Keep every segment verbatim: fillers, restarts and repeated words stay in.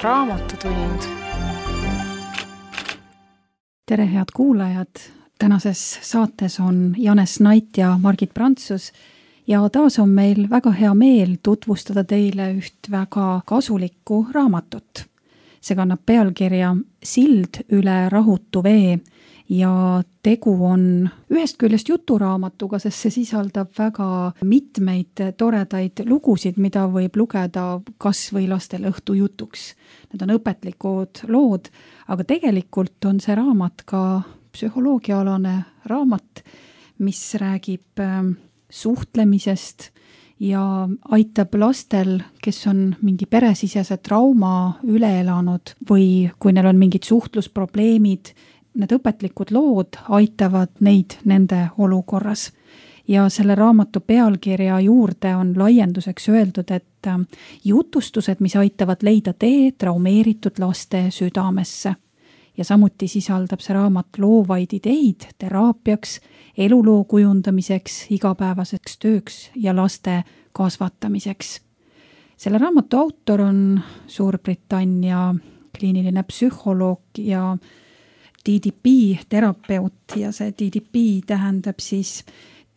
Raamatutund. Tere, head kuulajad! Tänases saates on Janes Nait ja Margit Prantsus ja taas on meil väga hea meel tutvustada teile üht väga kasulikku raamatut. See kannab pealkirja Sild üle rahutu vee ja tegu on ühest küljest juturaamatuga, sest see sisaldab väga mitmeid toredaid lugusid, mida võib lugeda kas või lastel õhtujutuks. Need on õpetlikud lood, aga tegelikult on see raamat ka psühholoogiaalane raamat, mis räägib suhtlemisest ja aitab lastel, kes on mingi peresisese trauma üle elanud või kui neil on mingid suhtlusprobleemid, need õpetlikud lood aitavad neid nende olukorras. Ja selle raamatu pealkirja juurde on laienduseks öeldud, et jutustused, mis aitavad leida tee traumeeritud laste südamesse. Ja samuti sisaldab see raamat loovaid ideid teraapiaks, eluloo kujundamiseks, igapäevaseks tööks ja laste kasvatamiseks. Selle raamatu autor on Suurbritannia kliiniline psühholoog ja D D P terapeut ja see D D P tähendab siis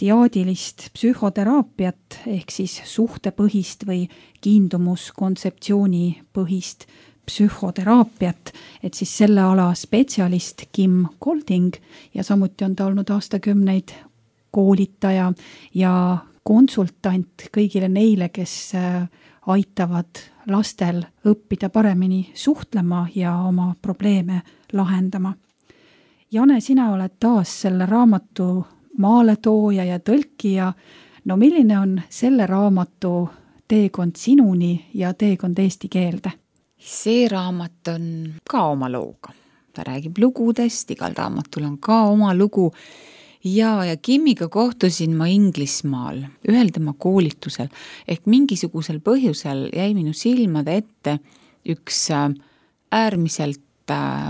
diaadilist psühhoteraapiat ehk siis suhtepõhist või kiindumuskontseptsiooni põhist psühhoteraapiat, et siis selle ala spetsialist Kim Golding ja samuti on ta olnud aastakümneid koolitaja ja konsultant kõigile neile, kes aitavad lastel õppida paremini suhtlema ja oma probleeme lahendama. Jane, sina oled taas selle raamatu maaletooja ja tõlkija. No milline on selle raamatu teekond sinuni ja teekond eesti keelde? See raamat on ka oma looga. Ta räägib lugudest, igal raamatul on ka oma lugu. Ja, ja Kimmiga kohtusin ma Inglismaal, ühel tema koolitusel, ehk mingisugusel põhjusel jäi minu silmade ette üks äärmiselt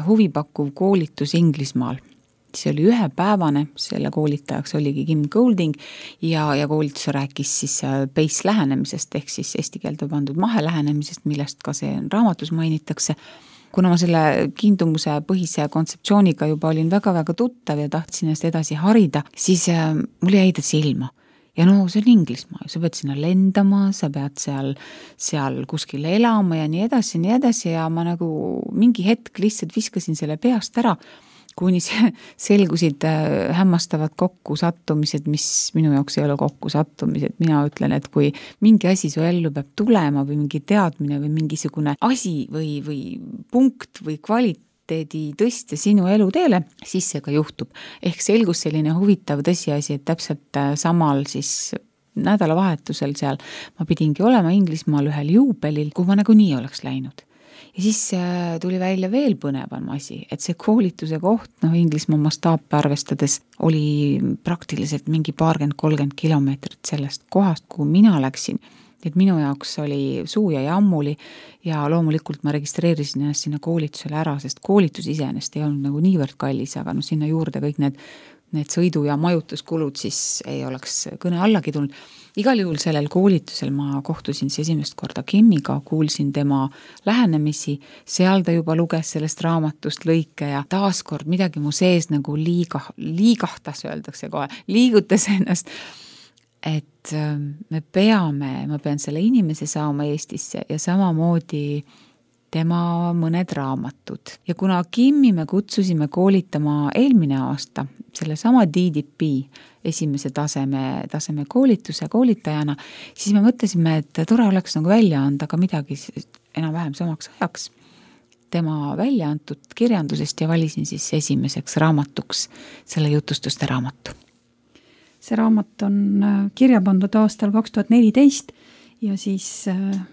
huvipakkuv koolitus Inglismaal. See oli ühepäevane, selle koolitajaks oligi Kim Golding ja, ja koolitus rääkis siis base lähenemisest ehk siis eesti keelde pandud mahe lähenemisest, millest ka see raamatus mainitakse. Kuna ma selle kiindumuse põhise kontseptsiooniga juba olin väga-väga tuttav ja tahtsin ennast edasi harida, siis mul jäi ta silma. Ja no see on Inglismaa, sa pead sinna lendama, sa pead seal, seal kuskil elama ja nii edasi, nii edasi ja ma nagu mingi hetk lihtsalt viskasin selle peast ära, kuni selgusid hämmastavad kokku sattumised, mis minu jaoks ei ole kokku sattumised. Mina ütlen, et kui mingi asi su ellu peab tulema või mingi teadmine või mingisugune asi või, või punkt või kvaliteedi tõstja sinu elu teele, siis see ka juhtub. Ehk selgus selline huvitav tõsiasi, et täpselt samal siis nädalavahetusel seal ma pidingi olema Inglismaal ühel juubelil, kuhu ma nagu nii oleks läinud. Ja siis tuli välja veel põnevam asi, et see koolituse koht, noh Inglismaa mastaape arvestades, oli praktiliselt mingi paarkümmend kolmkümmend kilomeetrit sellest kohast, kuhu mina läksin. Et minu jaoks oli suu ja jammuli ja loomulikult ma registreerisin ennast sinna koolitusele ära, sest koolitus iseenesest ei olnud nagu niivõrd kallis, aga no sinna juurde kõik need, need sõidu- ja majutuskulud siis ei oleks kõne allagi tulnud. Igal juhul sellel koolitusel ma kohtusin siis esimest korda Kimmiga, kuulsin tema lähenemisi, seal ta juba luges sellest raamatust lõike ja taaskord midagi mu sees nagu liiga, liigahtas, öeldakse kohe, liigutas ennast, et me peame, ma pean selle inimese saama Eestisse ja samamoodi tema mõned raamatud. Ja kuna Kimmi me kutsusime koolitama eelmine aasta, selle sama D D P esimese taseme, taseme koolituse koolitajana, siis me mõtlesime, et tore oleks nagu välja anda ka midagi enam-vähem samaks ajaks tema välja antud kirjandusest ja valisin siis esimeseks raamatuks selle jutustuste raamatu. See raamat on kirja pandud aastal kaks tuhat neliteist ja siis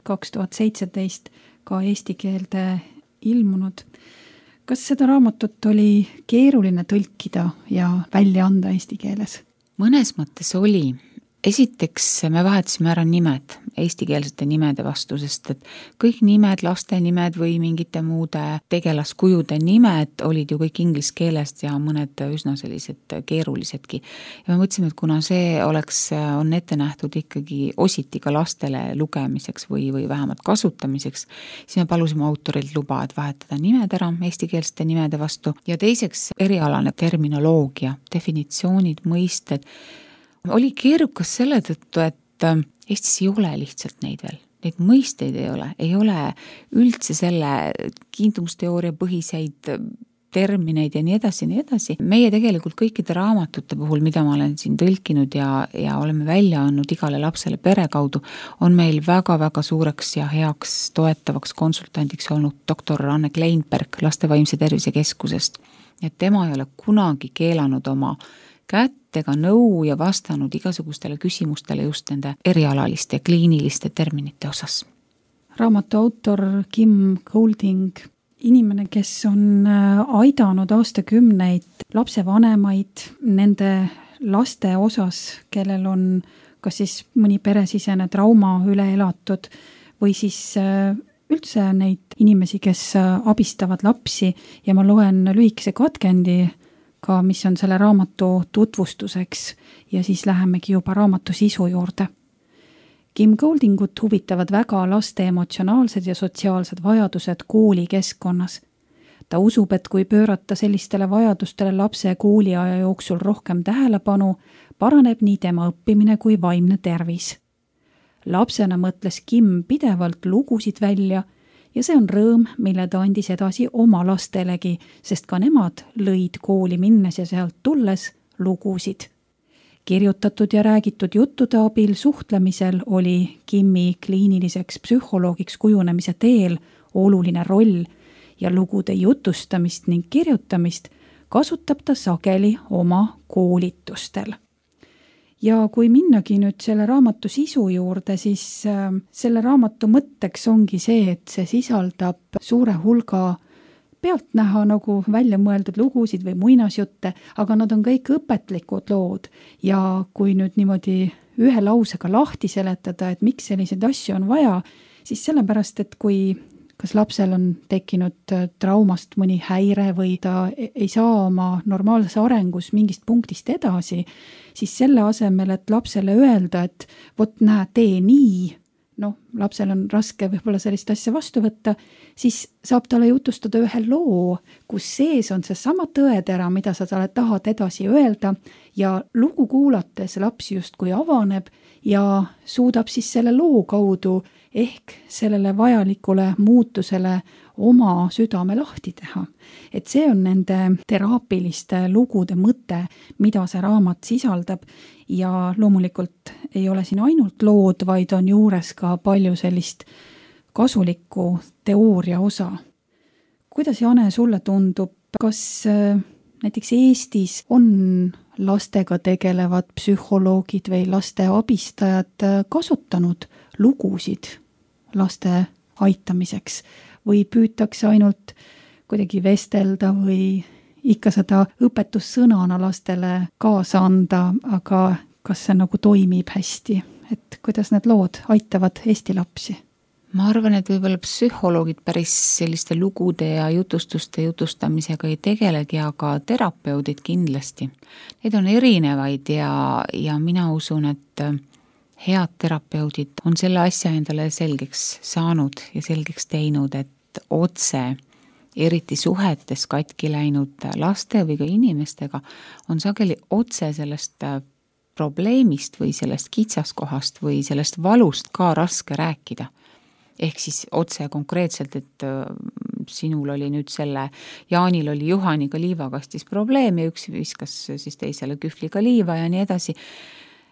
kaks tuhat seitseteist ka eesti keelde ilmunud. Kas seda raamatut oli keeruline tõlkida ja välja anda eesti keeles? Mõnes mõttes oli, esiteks me vahetasime ära nimed, eestikeelsete nimede vastu, sest et kõik nimed, laste nimed või mingite muude tegelaskujude nimed olid ju kõik inglise keelest ja mõned üsna sellised keerulisedki. Ja me mõtlesime, et kuna see oleks, on ette nähtud ikkagi ositi ka lastele lugemiseks või, või vähemalt kasutamiseks, siis me palusime autorilt luba, et vahetada nimed ära eestikeelsete nimede vastu ja teiseks erialane terminoloogia, definitsioonid, mõisted. Oli keerukas selle tõttu, et Eestis ei ole lihtsalt neid veel. Neid mõisteid ei ole. Ei ole üldse selle kiindumusteooria põhiseid termineid ja nii edasi, nii edasi. Meie tegelikult kõikide raamatute puhul, mida ma olen siin tõlkinud ja, ja oleme välja andnud igale lapsele pere kaudu, on meil väga-väga suureks ja heaks toetavaks konsultandiks olnud doktor Anne Kleinberg Laste Vaimse Tervise Keskusest. Et tema ei ole kunagi keelanud oma kättega nõu ja vastanud igasugustele küsimustele just nende erialaliste, kliiniliste terminite osas. Raamatu autor Kim Golding, inimene, kes on aidanud aastakümneid lapsevanemaid nende laste osas, kellel on kas siis mõni peresisene trauma üle elatud või siis üldse neid inimesi, kes abistavad lapsi ja ma loen lühikese katkendi ka, mis on selle raamatu tutvustuseks ja siis lähemegi juba raamatu sisu juurde. Kim Goldingut huvitavad väga laste emotsionaalsed ja sotsiaalsed vajadused koolikeskkonnas. Ta usub, et kui pöörata sellistele vajadustele lapse kooliaja jooksul rohkem tähelepanu, paraneb nii tema õppimine kui vaimne tervis. Lapsena mõtles Kim pidevalt lugusid välja ja see on rõõm, mille ta andis edasi oma lastelegi, sest ka nemad lõid kooli minnes ja sealt tulles lugusid. Kirjutatud ja räägitud juttude abil suhtlemisel oli Kimi kliiniliseks psühholoogiks kujunemise teel oluline roll ja lugude jutustamist ning kirjutamist kasutab ta sageli oma koolitustel. Ja kui minnagi nüüd selle raamatu sisu juurde, siis äh, selle raamatu mõtteks ongi see, et see sisaldab suure hulga pealtnäha nagu välja mõeldud lugusid või muinasjutte, aga nad on kõik õpetlikud lood ja kui nüüd niimoodi ühe lausega lahti seletada, et miks selliseid asju on vaja, siis sellepärast, et kui kas lapsel on tekkinud traumast mõni häire või ta ei saa oma normaalses arengus mingist punktist edasi, siis selle asemel, et lapsele öelda, et vot näe, tee nii, noh, lapsel on raske võib-olla sellist asja vastu võtta, siis saab talle jutustada ühe loo, kus sees on see sama tõetera, mida sa talle tahad edasi öelda ja lugu kuulates laps justkui avaneb ja suudab siis selle loo kaudu ehk sellele vajalikule muutusele oma südame lahti teha. Et see on nende teraapiliste lugude mõte, mida see raamat sisaldab ja loomulikult ei ole siin ainult lood, vaid on juures ka palju sellist kasulikku teooria osa. Kuidas, Jane, sulle tundub, kas näiteks Eestis on lastega tegelevad psühholoogid või laste abistajad kasutanud lugusid laste aitamiseks või püütakse ainult kuidagi vestelda või ikka seda õpetussõnana lastele kaasa anda, aga kas see nagu toimib hästi, et kuidas need lood aitavad Eesti lapsi? Ma arvan, et võib-olla psühholoogid päris selliste lugude ja jutustuste jutustamisega ei tegelegi, aga terapeudid kindlasti. Neid on erinevaid ja, ja mina usun, et head terapeudid on selle asja endale selgeks saanud ja selgeks teinud, et otse, eriti suhetes katki läinud laste või ka inimestega, on sageli otse sellest probleemist või sellest kitsaskohast või sellest valust ka raske rääkida. Ehk siis otse konkreetselt, et sinul oli nüüd selle, Jaanil oli Juhaniga liivakastis probleem ja üks viskas siis teisele kühvliga liiva ja nii edasi.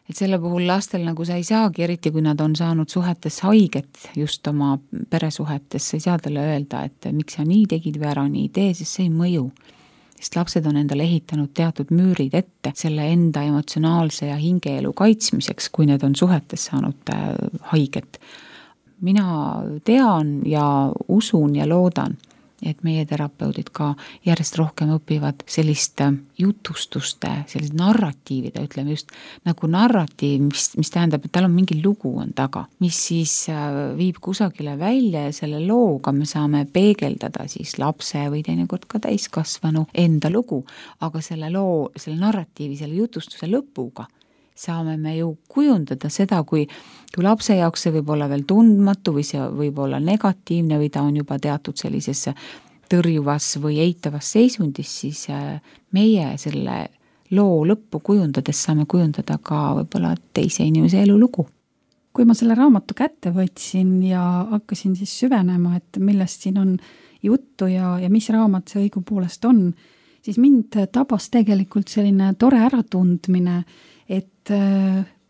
Et selle puhul lastel nagu sa ei saagi, eriti kui nad on saanud suhetes haiget just oma peresuhetes, sa ei saa talle öelda, et miks sa nii tegid või ära nii tee, siis see ei mõju. Sest lapsed on endale ehitanud teatud müürid ette selle enda emotsionaalse ja hingeelu kaitsmiseks, kui need on suhetes saanud haiget. Mina tean ja usun ja loodan, et meie terapeudid ka järjest rohkem õpivad sellist jutustuste, sellist narratiivide, ütleme just nagu narratiiv, mis, mis tähendab, et tal on mingi lugu on taga, mis siis viib kusagile välja ja selle looga me saame peegeldada siis lapse või teinekord ka täiskasvanu enda lugu, aga selle loo, selle narratiivi, selle jutustuse lõpuga saame me ju kujundada seda, kui, kui lapse jaoks see võib olla veel tundmatu või see võib olla negatiivne või ta on juba teatud sellises tõrjuvas või eitavas seisundis, siis meie selle loo lõppu kujundades saame kujundada ka võib-olla teise inimese elulugu. Kui ma selle raamatu kätte võtsin ja hakkasin siis süvenema, et millest siin on juttu ja, ja mis raamat see õigupoolest on, siis mind tabas tegelikult selline tore äratundmine, et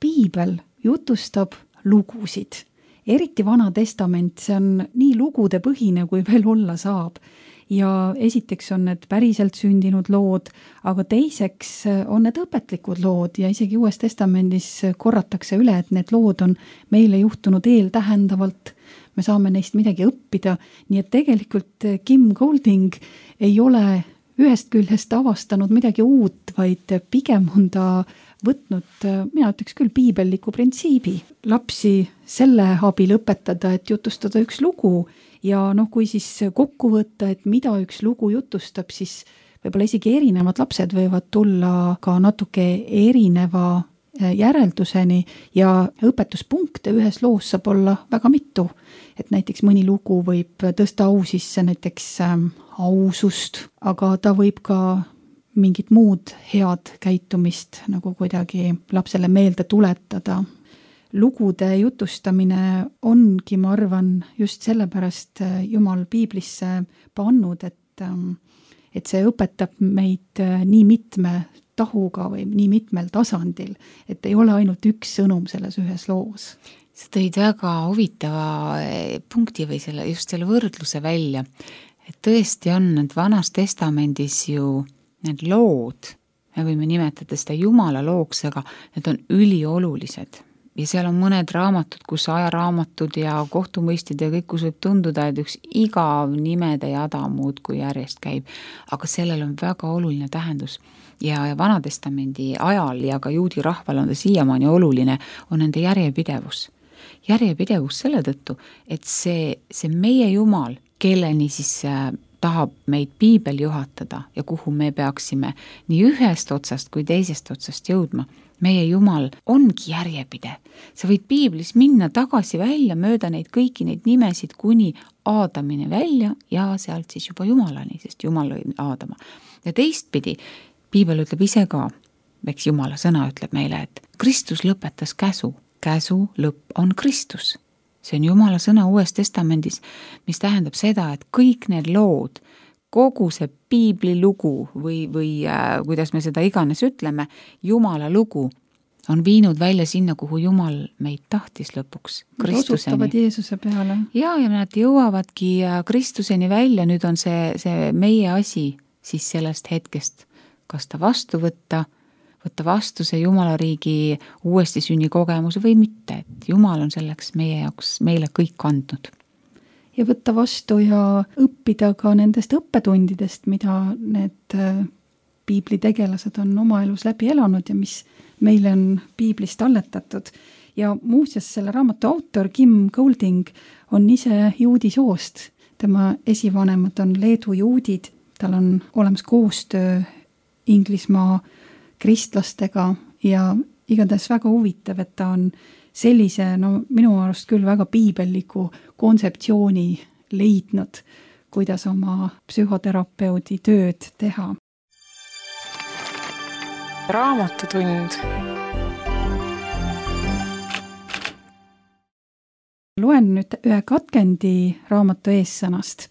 piibel jutustab lugusid. Eriti Vana Testament, see on nii lugude põhine, kui veel olla saab. Ja esiteks on need päriselt sündinud lood, aga teiseks on need õpetlikud lood ja isegi Uues Testamendis korratakse üle, et need lood on meile juhtunud eeltähendavalt. Me saame neist midagi õppida, nii et tegelikult Kim Golding ei ole ühest küljest avastanud midagi uut, vaid pigem on ta võtnud, mina ütleks küll, piibelliku printsiibi. Lapsi selle abil õpetada, et jutustada üks lugu ja noh, kui siis kokku võtta, et mida üks lugu jutustab, siis võib-olla isegi erinevad lapsed võivad tulla ka natuke erineva järelduseni ja õpetuspunkte ühes loos saab olla väga mitu. Et näiteks mõni lugu võib tõsta au sisse näiteks ausust, aga ta võib ka mingit muud head käitumist nagu kuidagi lapsele meelde tuletada. Lugude jutustamine ongi, ma arvan, just sellepärast Jumal piiblisse pannud, et, et see õpetab meid nii mitme tahuga või nii mitmel tasandil, et ei ole ainult üks sõnum selles ühes loos. Sa tõid väga huvitava punkti või selle, just selle võrdluse välja, et tõesti on need Vanas Testamendis ju need lood, me võime nimetada seda Jumala looks, aga need on üliolulised. Ja seal on mõned raamatud, kus ajaraamatud ja kohtumõistid ja kõik, kus võib tunduda, et üks igav nimede jada muud kui järjest käib. Aga sellel on väga oluline tähendus. Ja, ja Vanatestamendi ajal ja ka juudi rahval on ta siiamaani oluline, on nende järjepidevus. Järjepidevus selle tõttu, et see, see meie Jumal, kelleni siis tahab meid piibel juhatada ja kuhu me peaksime nii ühest otsast kui teisest otsast jõudma. Meie Jumal ongi järjepidev. Sa võid piiblis minna tagasi välja mööda neid kõiki neid nimesid kuni Aadamini välja ja sealt siis juba Jumalani, sest Jumal lõi Aadama. Ja teistpidi, piibel ütleb ise ka, eks Jumala sõna ütleb meile, et Kristus lõpetas käsu. Käsu lõpp on Kristus. See on Jumala sõna Uues Testamendis, mis tähendab seda, et kõik need lood, kogu see piibli lugu või, või äh, kuidas me seda iganes ütleme, Jumala lugu on viinud välja sinna, kuhu Jumal meid tahtis lõpuks, Kristuseni. Osutavad Jeesuse peale. Ja, ja nad jõuavadki Kristuseni välja, nüüd on see, see meie asi siis sellest hetkest, kas ta vastu võtta, võtta vastu see Jumala riigi uuesti sünni kogemus või mitte, et Jumal on selleks meie jaoks meile kõik andnud. Ja võtta vastu ja õppida ka nendest õppetundidest, mida need piibli tegelased on oma elus läbi elanud ja mis meile on piiblist alletatud. Ja muuseas selle raamatu autor Kim Golding on ise juudi soost. Tema esivanemad on Leedu juudid, tal on olemas koostöö Inglismaa kristlastega ja igatahes väga huvitav, et ta on sellise, no minu arust küll väga piibelliku kontseptsiooni leidnud, kuidas oma psühhoterapeudi tööd teha. Raamatutund. Loen nüüd ühe katkendi raamatu eessõnast.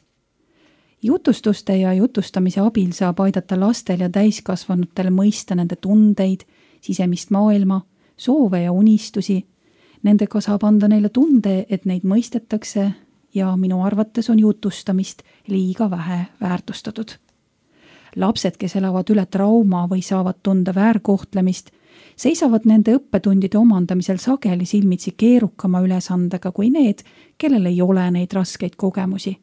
Jutustuste ja jutustamise abil saab aidata lastel ja täiskasvanutel mõista nende tundeid, sisemist maailma, soove ja unistusi. Nendega saab anda neile tunde, et neid mõistetakse ja minu arvates on jutustamist liiga vähe väärtustatud. Lapsed, kes elavad üle trauma või saavad tunda väärkohtlemist, seisavad nende õppetundide omandamisel sageli silmitsi keerukama ülesandega kui need, kellel ei ole neid raskeid kogemusi.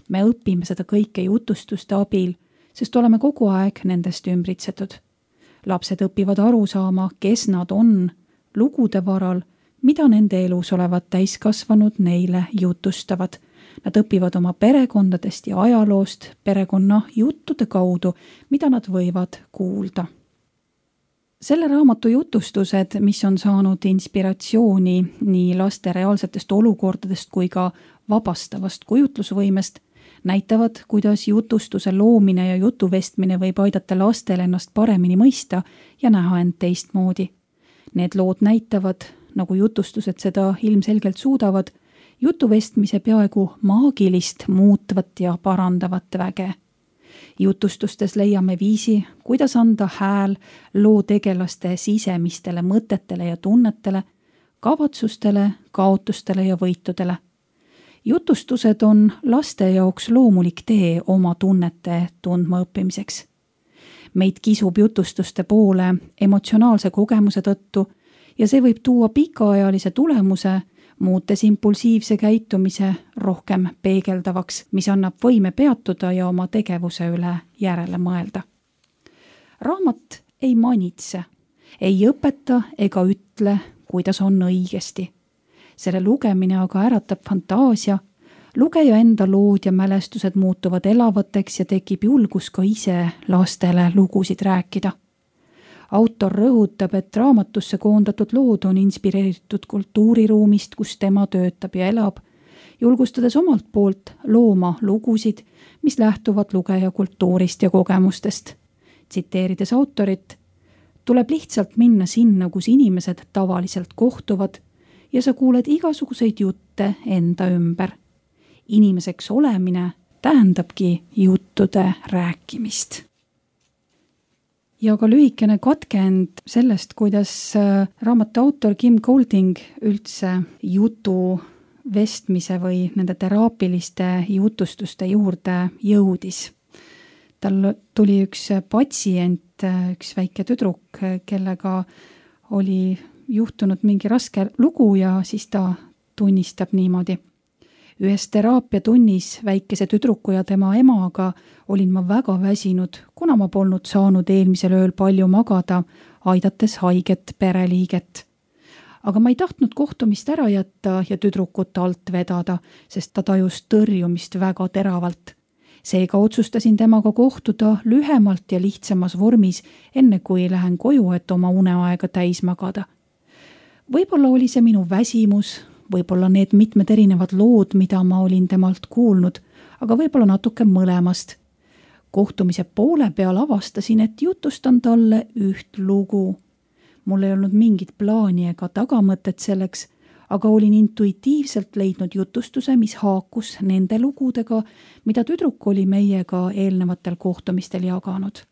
me õpime seda kõike jutustuste abil, sest oleme kogu aeg nendest ümbritsetud. Lapsed õpivad aru saama, kes nad on, lugude varal, mida nende elus olevad täiskasvanud neile jutustavad. Nad õpivad oma perekondadest ja ajaloost perekonna juttude kaudu, mida nad võivad kuulda. Selle raamatu jutustused, mis on saanud inspiratsiooni nii laste reaalsetest olukordadest kui ka vabastavast kujutlusvõimest, näitavad, kuidas jutustuse loomine ja jutuvestmine võib aidata lastel ennast paremini mõista ja näha end teistmoodi. Need lood näitavad, nagu jutustused seda ilmselgelt suudavad, jutuvestmise peaaegu maagilist muutvat ja parandavat väge. Jutustustes leiame viisi, kuidas anda hääl loo tegelaste sisemistele mõtetele ja tunnetele, kavatsustele, kaotustele ja võitudele. Jutustused on laste jaoks loomulik tee oma tunnete tundma õppimiseks. Meid kisub jutustuste poole emotsionaalse kogemuse tõttu ja see võib tuua pikaajalise tulemuse, muutes impulsiivse käitumise rohkem peegeldavaks, mis annab võime peatuda ja oma tegevuse üle järele mõelda. Raamat ei manitse, ei õpeta ega ütle, kuidas on õigesti. Selle lugemine aga äratab fantaasia, lugeja enda lood ja mälestused muutuvad elavateks ja tekib julgus ka ise lastele lugusid rääkida. Autor rõhutab, et raamatusse koondatud lood on inspireeritud kultuuriruumist, kus tema töötab ja elab, julgustades omalt poolt looma lugusid, mis lähtuvad lugeja kultuurist ja kogemustest. Tsiteerides autorit, tuleb lihtsalt minna sinna, kus inimesed tavaliselt kohtuvad ja sa kuuled igasuguseid jutte enda ümber. Inimeseks olemine tähendabki juttude rääkimist. Ja ka lühikene katkend sellest, kuidas raamatu autor Kim Golding üldse jutu vestmise või nende teraapiliste jutustuste juurde jõudis. Tal tuli üks patsient, üks väike tüdruk, kellega oli juhtunud mingi raske lugu ja siis ta tunnistab niimoodi. Ühes teraapiatunnis väikese tüdruku ja tema emaga olin ma väga väsinud, kuna ma polnud saanud eelmisel ööl palju magada, aidates haiget pereliiget. Aga ma ei tahtnud kohtumist ära jätta ja tüdrukut alt vedada, sest ta tajus tõrjumist väga teravalt. Seega otsustasin temaga kohtuda lühemalt ja lihtsamas vormis, enne kui lähen koju, et oma uneaega täis magada. Võib-olla oli see minu väsimus, võib-olla need mitmed erinevad lood, mida ma olin temalt kuulnud, aga võib-olla natuke mõlemast. Kohtumise poole peal avastasin, et jutustan talle üht lugu. Mul ei olnud mingit plaani ega tagamõtet selleks, aga olin intuitiivselt leidnud jutustuse, mis haakus nende lugudega, mida tüdruk oli meiega eelnevatel kohtumistel jaganud.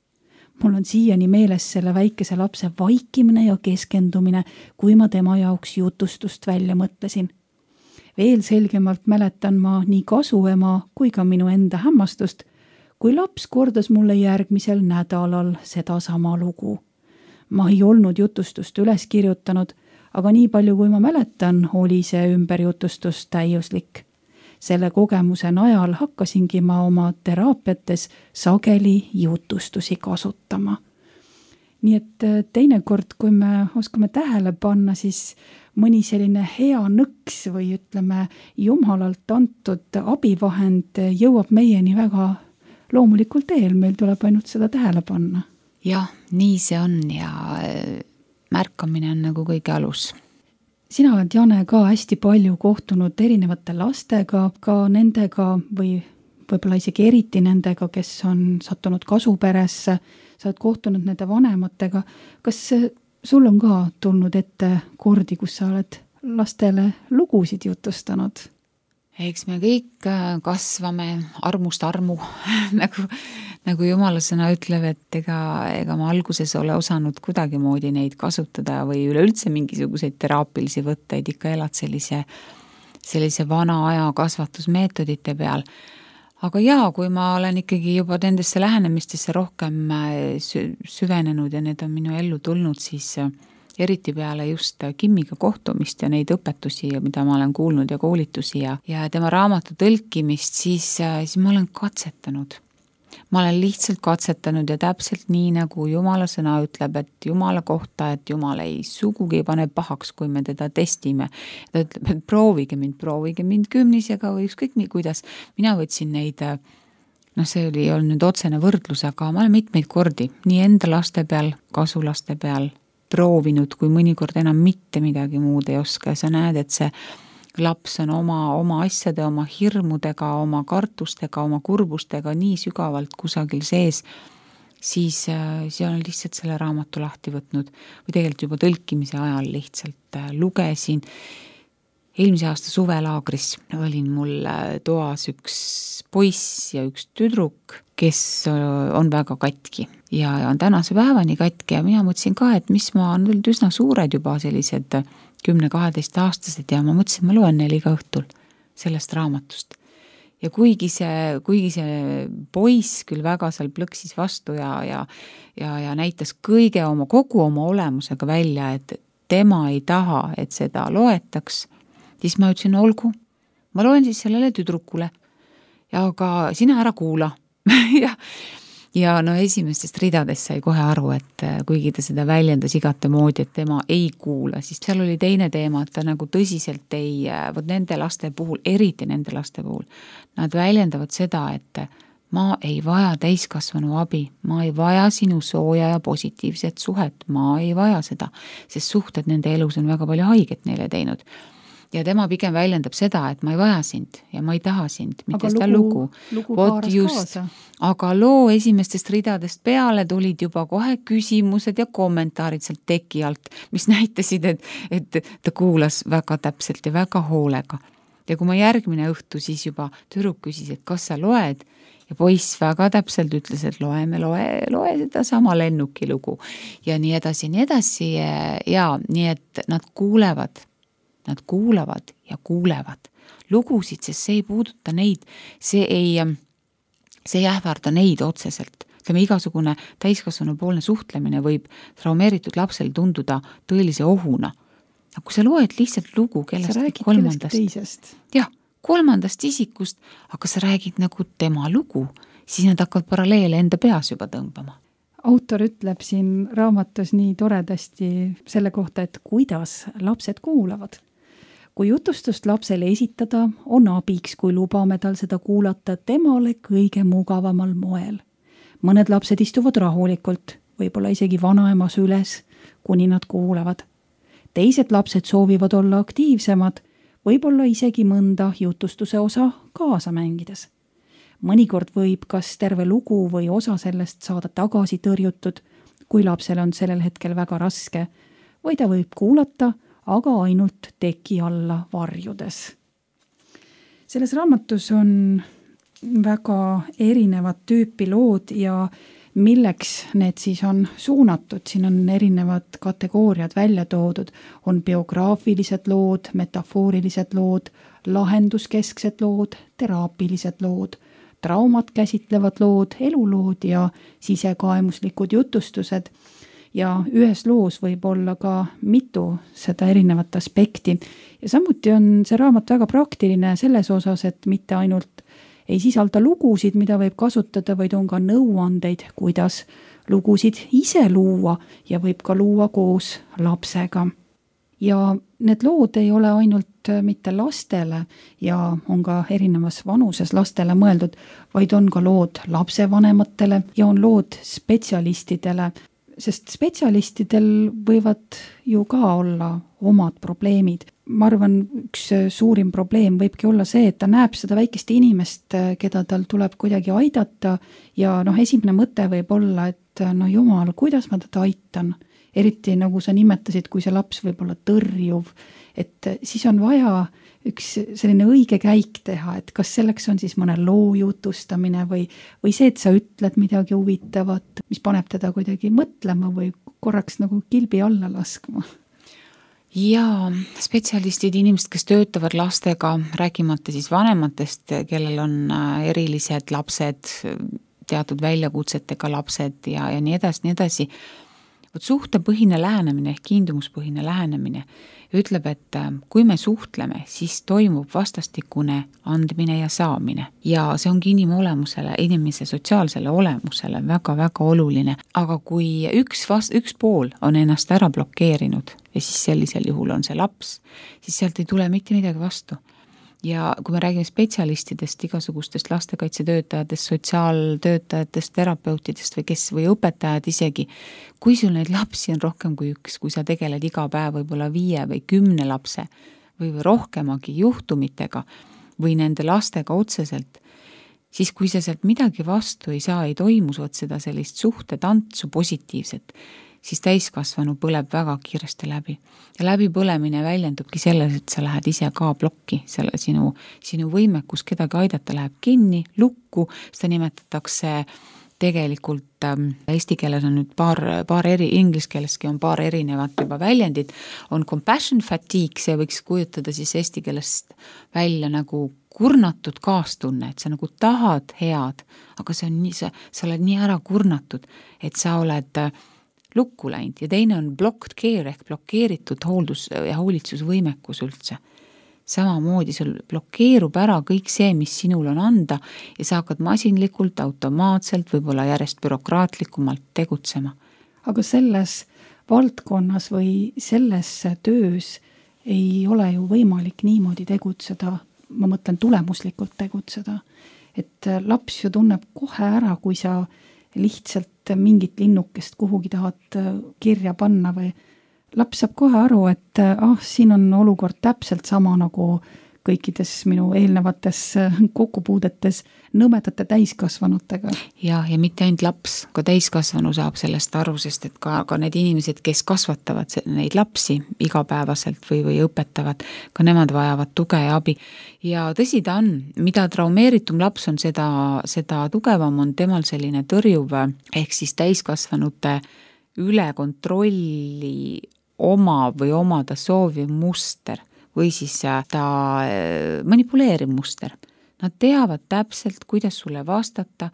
Mul on siiani meeles selle väikese lapse vaikimine ja keskendumine, kui ma tema jaoks jutustust välja mõtlesin. Veel selgemalt mäletan ma nii kasuema kui ka minu enda hämmastust, kui laps kordas mulle järgmisel nädalal seda sama lugu. Ma ei olnud jutustust üles kirjutanud, aga nii palju kui ma mäletan, oli see ümberjutustus täiuslik. Selle kogemuse najal hakkasingi ma oma teraapiates sageli jutustusi kasutama. Nii et teinekord, kui me oskame tähele panna, siis mõni selline hea nõks või ütleme jumalalt antud abivahend jõuab meieni väga loomulikul teel, meil tuleb ainult seda tähele panna. Jah, nii see on ja märkamine on nagu kõige alus. Sina oled, Jane, ka hästi palju kohtunud erinevate lastega, ka nendega või võib-olla isegi eriti nendega, kes on sattunud kasuperesse, sa oled kohtunud nende vanematega. Kas sul on ka tulnud ette kordi, kus sa oled lastele lugusid jutustanud? Eks me kõik kasvame armust armu, nagu, nagu Jumala sõna ütleb, et ega, ega ma alguses ole osanud kuidagi moodi neid kasutada või üleüldse mingisuguseid teraapilisi võtteid, ikka elad sellise, sellise vana aja kasvatusmeetodite peal. Aga jaa, kui ma olen ikkagi juba nendesse lähenemistesse rohkem süvenenud ja need on minu ellu tulnud, siis, eriti peale just Kimmiga kohtumist ja neid õpetusi, mida ma olen kuulnud ja koolitusi ja, ja tema raamatu tõlkimist, siis, siis ma olen katsetanud. Ma olen lihtsalt katsetanud ja täpselt nii, nagu Jumala sõna ütleb, et Jumala kohta, et Jumal ei sugugi pane pahaks, kui me teda testime. Ta ütleb, et proovige mind, proovige mind kümnisega või ükskõik nii, kuidas. Mina võtsin neid, noh see oli olnud nüüd otsene võrdlus, aga ma olen mitmeid kordi nii enda laste peal, kasulaste peal proovinud, kui mõnikord enam mitte midagi muud ei oska ja sa näed, et see laps on oma, oma asjade, oma hirmudega, oma kartustega, oma kurbustega nii sügavalt kusagil sees, siis, siis olen lihtsalt selle raamatu lahti võtnud või tegelikult juba tõlkimise ajal lihtsalt lugesin. Eelmise aasta suvelaagris olin mul toas üks poiss ja üks tüdruk, kes on väga katki ja on tänase päevani katki ja mina mõtlesin ka, et mis ma on üsna suured juba sellised kümne-kaheteist aastased ja ma mõtlesin, ma loen neil iga õhtul sellest raamatust. Ja kuigi see, kuigi see poiss küll väga seal plõksis vastu ja, ja, ja, ja näitas kõige oma, kogu oma olemusega välja, et tema ei taha, et seda loetaks, siis ma ütlesin, olgu, ma loen siis sellele tüdrukule ja aga sina ära kuula. ja Ja no esimestest ridadest sai kohe aru, et kuigi ta seda väljendas igate moodi, et tema ei kuula, siis seal oli teine teema, et ta nagu tõsiselt ei, võt nende laste puhul, eriti nende laste puhul, nad väljendavad seda, et ma ei vaja täiskasvanu abi, ma ei vaja sinu sooja ja positiivset suhet, ma ei vaja seda, sest suhted nende elus on väga palju haiget neile teinud. Ja tema pigem väljendab seda, et ma ei vaja sind ja ma ei taha sind, mitte seda lugu. lugu haaras kaasa. Aga loo esimestest ridadest peale tulid juba kohe küsimused ja kommentaarid sealt teki alt, mis näitasid, et, et ta kuulas väga täpselt ja väga hoolega. Ja kui ma järgmine õhtu siis juba tüdruk küsis, et kas sa loed, ja poiss väga täpselt ütles, et loeme, loe, loe seda sama lennuki lugu ja nii edasi, nii edasi ja nii, et nad kuulevad Nad kuulavad ja kuulevad lugusid, sest see ei puuduta neid, see ei, see ei ähvarda neid otseselt. Ütleme, igasugune täiskasvanu poolne suhtlemine võib traumeeritud lapsel tunduda tõelise ohuna. Aga kui sa loed lihtsalt lugu kellest kolmandast, jah, kolmandast isikust, aga sa räägid nagu tema lugu, siis nad hakkavad paralleele enda peas juba tõmbama. Autor ütleb siin raamatus nii toredasti selle kohta, et kuidas lapsed kuulavad. Kui jutustust lapsele esitada, on abiks, kui lubame tal seda kuulata temale kõige mugavamal moel. Mõned lapsed istuvad rahulikult, võib-olla isegi vanaema süles, kuni nad kuulevad. Teised lapsed soovivad olla aktiivsemad, võib-olla isegi mõnda jutustuse osa kaasa mängides. Mõnikord võib kas terve lugu või osa sellest saada tagasi tõrjutud, kui lapsel on sellel hetkel väga raske, või ta võib kuulata, aga ainult teki alla varjudes. Selles raamatus on väga erinevad tüüpi lood ja milleks need siis on suunatud. Siin on erinevad kategooriad välja toodud. On biograafilised lood, metafoorilised lood, lahenduskesksed lood, teraapilised lood, traumat käsitlevad lood, elulood ja sisekaemuslikud jutustused. Ja ühes loos võib olla ka mitu seda erinevat aspekti. Ja samuti on see raamat väga praktiline selles osas, et mitte ainult ei sisalda lugusid, mida võib kasutada, vaid on ka nõuandeid, kuidas lugusid ise luua ja võib ka luua koos lapsega. Ja need lood ei ole ainult mitte lastele ja on ka erinevas vanuses lastele mõeldud, vaid on ka lood lapsevanematele ja on lood spetsialistidele, sest spetsialistidel võivad ju ka olla omad probleemid. Ma arvan, üks suurim probleem võibki olla see, et ta näeb seda väikest inimest, keda tal tuleb kuidagi aidata ja noh, esimene mõte võib olla, et no jumal, kuidas ma teda aitan? Eriti nagu sa nimetasid, kui see laps võib olla tõrjuv, et siis on vaja üks selline õige käik teha, et kas selleks on siis mõne loo jutustamine või, või see, et sa ütled midagi huvitavat, mis paneb teda kuidagi mõtlema või korraks nagu kilbi alla laskma. Ja spetsialistid, inimesed, kes töötavad lastega, rääkimata siis vanematest, kellel on erilised lapsed, teatud väljakutsetega lapsed ja, ja nii edasi, nii edasi, Vot suhtepõhine lähenemine ehk kiindumuspõhine lähenemine ütleb, et kui me suhtleme, siis toimub vastastikune andmine ja saamine. Ja see ongi inimolemusele, inimese sotsiaalsele olemusele väga-väga oluline. Aga kui üks, vast, üks pool on ennast ära blokeerinud ja siis sellisel juhul on see laps, siis sealt ei tule mitte midagi vastu. Ja kui me räägime spetsialistidest, igasugustest lastekaitsetöötajatest, sotsiaaltöötajatest, terapeutidest või kes või õpetajad isegi, kui sul neid lapsi on rohkem kui üks, kui sa tegeled iga päev võibolla viie või kümne lapse või rohkemagi juhtumitega või nende lastega otseselt, siis kui sa sealt midagi vastu ei saa, ei toimu seda sellist suhtetantsu positiivset, siis täiskasvanu põleb väga kiiresti läbi. Ja läbipõlemine väljendubki selles, et sa lähed ise ka blokki, selle sinu, sinu võimekus kedagi aidata läheb kinni, lukku, seda nimetatakse tegelikult ähm, eesti keeles on nüüd paar, paar eri, inglise keeleski on paar erinevat juba väljendit, on compassion fatigue, see võiks kujutada siis eesti keelest välja nagu kurnatud kaastunne, et sa nagu tahad head, aga see on nii, sa, sa oled nii ära kurnatud, et sa oled lukku läinud ja teine on blocked care ehk blokeeritud hooldus- ja hoolitsusvõimekus üldse. Samamoodi sul blokeerub ära kõik see, mis sinul on anda ja sa hakkad masinlikult, automaatselt, võib-olla järjest bürokraatlikumalt tegutsema. Aga selles valdkonnas või selles töös ei ole ju võimalik niimoodi tegutseda, ma mõtlen tulemuslikult tegutseda, et laps ju tunneb kohe ära, kui sa lihtsalt mingit linnukest kuhugi tahad kirja panna või laps saab kohe aru, et ah, siin on olukord täpselt sama nagu kõikides minu eelnevates kokkupuudetes nõmedate täiskasvanutega. Ja, ja mitte ainult laps, ka täiskasvanu saab sellest aru, sest et ka, ka need inimesed, kes kasvatavad neid lapsi igapäevaselt või, või õpetavad, ka nemad vajavad tuge ja abi. Ja tõsi ta on, mida traumeeritum laps on, seda, seda tugevam on temal selline tõrjuv, ehk siis täiskasvanute üle kontrolli oma või omada sooviv muster või siis ta manipuleeriv muster. Nad teavad täpselt, kuidas sulle vastata,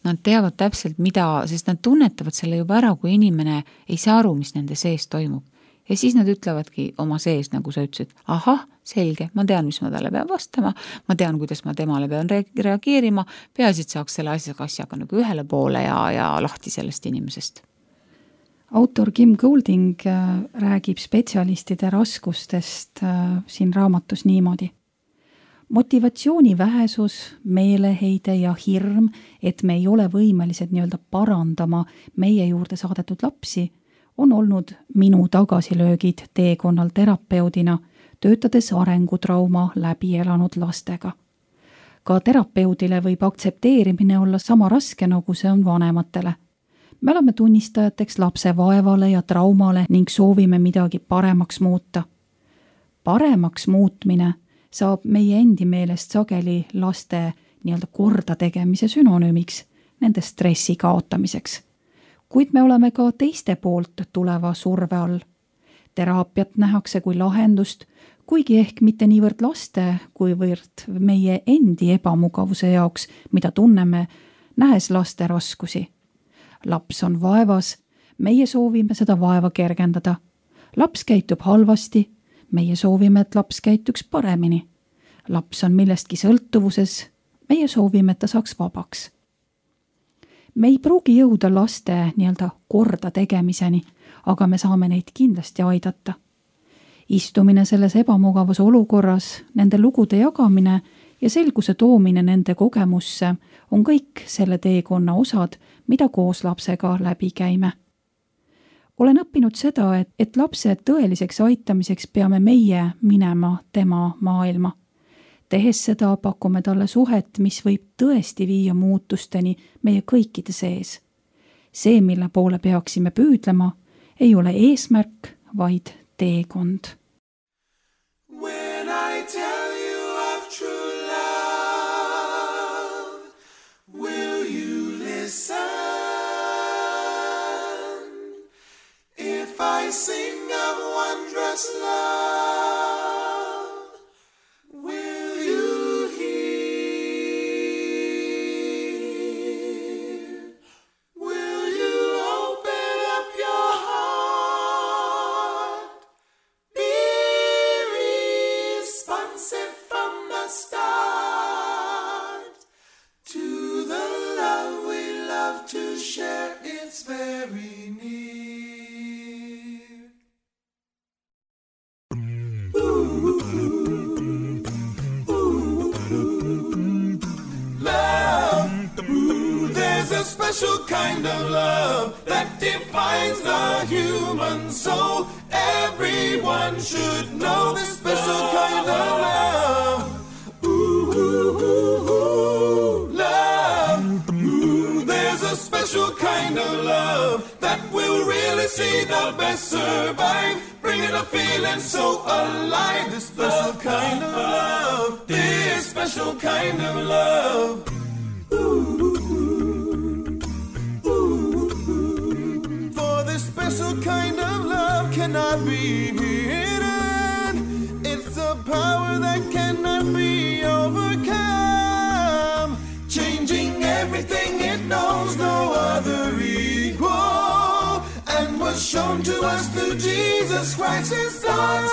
nad teavad täpselt, mida, sest nad tunnetavad selle juba ära, kui inimene ei saa aru, mis nende sees toimub. Ja siis nad ütlevadki oma sees, nagu sa ütlesid, ahah, selge, ma tean, mis ma talle pean vastama, ma tean, kuidas ma temale pean reageerima, peaasi, et saaks selle asjaga, asjaga nagu ühele poole ja, ja lahti sellest inimesest. Autor Kim Golding räägib spetsialistide raskustest siin raamatus niimoodi. Motivatsiooni vähesus, meeleheide ja hirm, et me ei ole võimelised nii-öelda parandama meie juurde saadetud lapsi, on olnud minu tagasilöögid teekonnal terapeudina, töötades arengutrauma läbi elanud lastega. Ka terapeudile võib aktsepteerimine olla sama raske, nagu see on vanematele. Me oleme tunnistajateks lapse vaevale ja traumale ning soovime midagi paremaks muuta. Paremaks muutmine saab meie endi meelest sageli laste nii-öelda korda tegemise sünonüümiks, nende stressi kaotamiseks. Kuid me oleme ka teiste poolt tuleva surve all. Teraapiat nähakse kui lahendust, kuigi ehk mitte niivõrd laste, kuivõrd meie endi ebamugavuse jaoks, mida tunneme, nähes laste raskusi. Laps on vaevas, meie soovime seda vaeva kergendada. Laps käitub halvasti, meie soovime, et laps käituks paremini. Laps on millestki sõltuvuses, meie soovime, et ta saaks vabaks. Me ei pruugi jõuda laste nii-öelda korda tegemiseni, aga me saame neid kindlasti aidata. Istumine selles ebamugavas olukorras, nende lugude jagamine ja selguse toomine nende kogemusse on kõik selle teekonna osad, mida koos lapsega läbi käime. Olen õppinud seda, et, et lapse tõeliseks aitamiseks peame meie minema tema maailma. Tehes seda pakume talle suhet, mis võib tõesti viia muutusteni meie kõikide sees. See, mille poole peaksime püüdlema, ei ole eesmärk, vaid teekond. When I tell you of true love, will you listen? If I sing of wondrous love, will you hear? Will you open up your heart? very near. Love, there's a special kind of love that defines the human soul. Everyone should know this special kind of love. Ooh, ooh, ooh, ooh, love. Ooh, there's a special kind of love that will really see the best survive, bringing a feeling so alive. This special kind of love, this special kind of love. Ooh, ooh, for this special kind of love cannot be hidden. It's a power that cannot be overcome, changing everything it knows, no other equal, and was shown to us through Jesus Christ, His Son.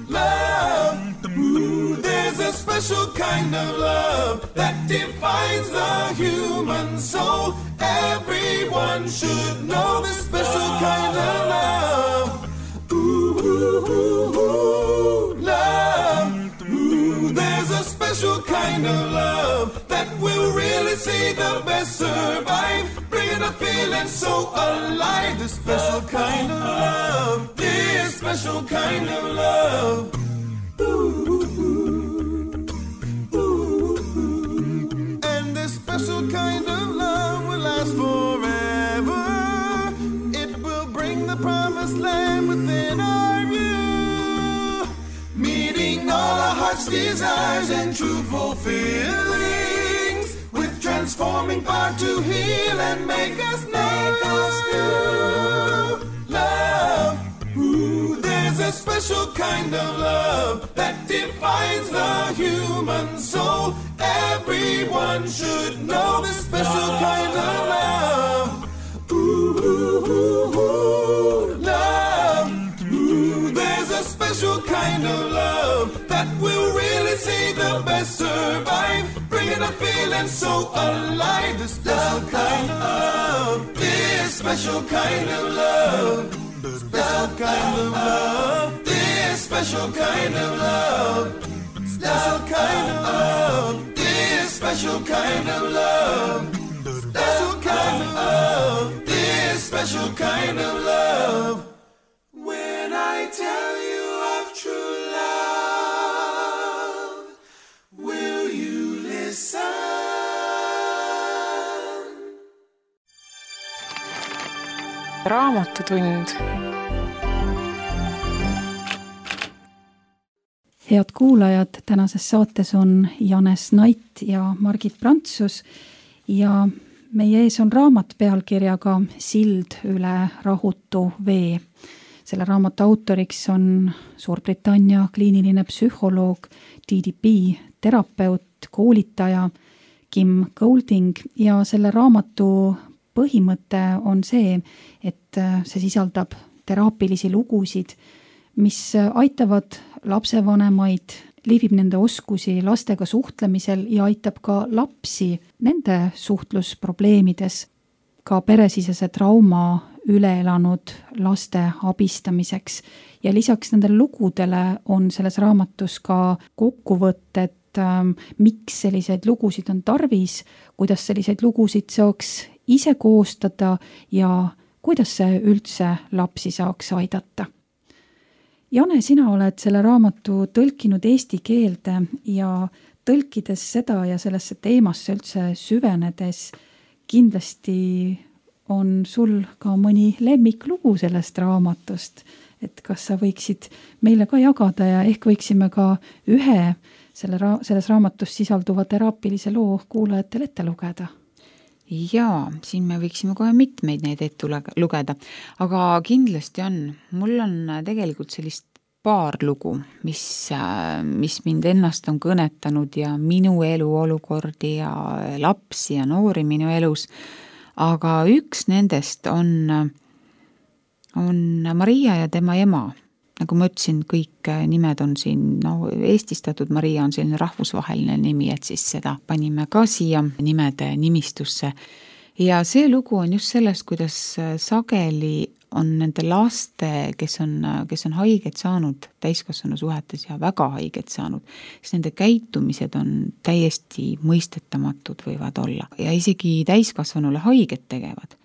Love, ooh, there's a special kind of love that defines the human soul. Everyone should know this special kind of love. Ooh, ooh, ooh, ooh, love. Ooh, there's a special kind of love that will really see the best survive, bringing a feeling so alive. This special kind of love, this special kind of love. Ooh, ooh, ooh. And this special kind of love will last forever. It will bring the promised land within our view, meeting all our heart's desires and true fulfillings, with transforming power to heal and make us new. Love, ooh, there's a special kind of love that defines the human soul. Everyone should know this special kind of love. Ooh, ooh, ooh, ooh, love. Ooh, there's a special kind of love that will really see the best survive, bringing a feeling so alive. This special kind of love, this special kind of love, special kind of love, this special kind of love, special kind of love, this special kind of love, special kind of love, this special kind of love. When I tell you of true love, will you listen? Raamatutund. Head kuulajad, tänases saates on Janes Nait ja Margit Prantsus ja meie ees on raamat pealkirjaga Sild üle rahutu vee. Selle raamatu autoriks on Suurbritannia kliiniline psühholoog, D D B, terapeut, koolitaja Kim Golding ja selle raamatu põhimõte on see, et see sisaldab teraapilisi lugusid, mis aitavad lapsevanemaid, liivib nende oskusi lastega suhtlemisel ja aitab ka lapsi nende suhtlusprobleemides, ka peresisese trauma üle elanud laste abistamiseks. Ja lisaks nendele lugudele on selles raamatus ka kokkuvõtted, miks selliseid lugusid on tarvis, kuidas selliseid lugusid saaks ise koostada ja kuidas see üldse lapsi saaks aidata. Jane, sina oled selle raamatu tõlkinud eesti keelde ja tõlkides seda ja sellesse teemasse üldse süvenedes kindlasti on sul ka mõni lemmiklugu sellest raamatust, et kas sa võiksid meile ka jagada ja ehk võiksime ka ühe selle ra- selles raamatus sisalduva teraapilise loo kuulajatele ette lugeda? Jaa, siin me võiksime kohe mitmeid neid ette lugeda, aga kindlasti on. Mul on tegelikult sellist paar lugu, mis, mis mind ennast on kõnetanud ja minu elu olukordi ja lapsi ja noori minu elus. Aga üks nendest on, on Maria ja tema ema. Nagu ma ütlesin, kõik nimed on siin, no eestistatud Maria on selline rahvusvaheline nimi, et siis seda panime ka siia nimede nimistusse. ja see lugu on just sellest, kuidas sageli on nende laste, kes on, kes on haiget saanud täiskasvanu suhetes ja väga haiget saanud, siis nende käitumised on täiesti mõistetamatud võivad olla ja isegi täiskasvanule haiget tegevad.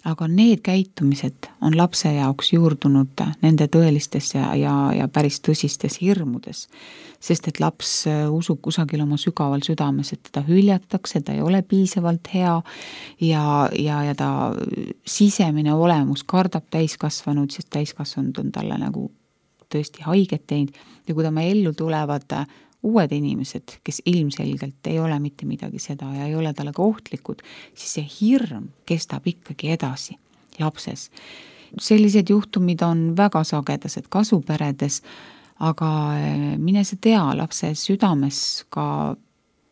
Aga need käitumised on lapse jaoks juurdunud nende tõelistes ja, ja, ja päris tõsistes hirmudes, sest et laps usub kusagil oma sügaval südames, et teda hüljatakse, ta ei ole piisavalt hea ja, ja, ja ta sisemine olemus kardab täiskasvanud, sest täiskasvanud on talle nagu tõesti haiget teinud ja kui ta me ellu tulevad uued inimesed, kes ilmselgelt ei ole mitte midagi seda ja ei ole talle ka ohtlikud, siis see hirm kestab ikkagi edasi lapses. Sellised juhtumid on väga sagedased kasuperedes, aga mine sa tea, lapse südames, ka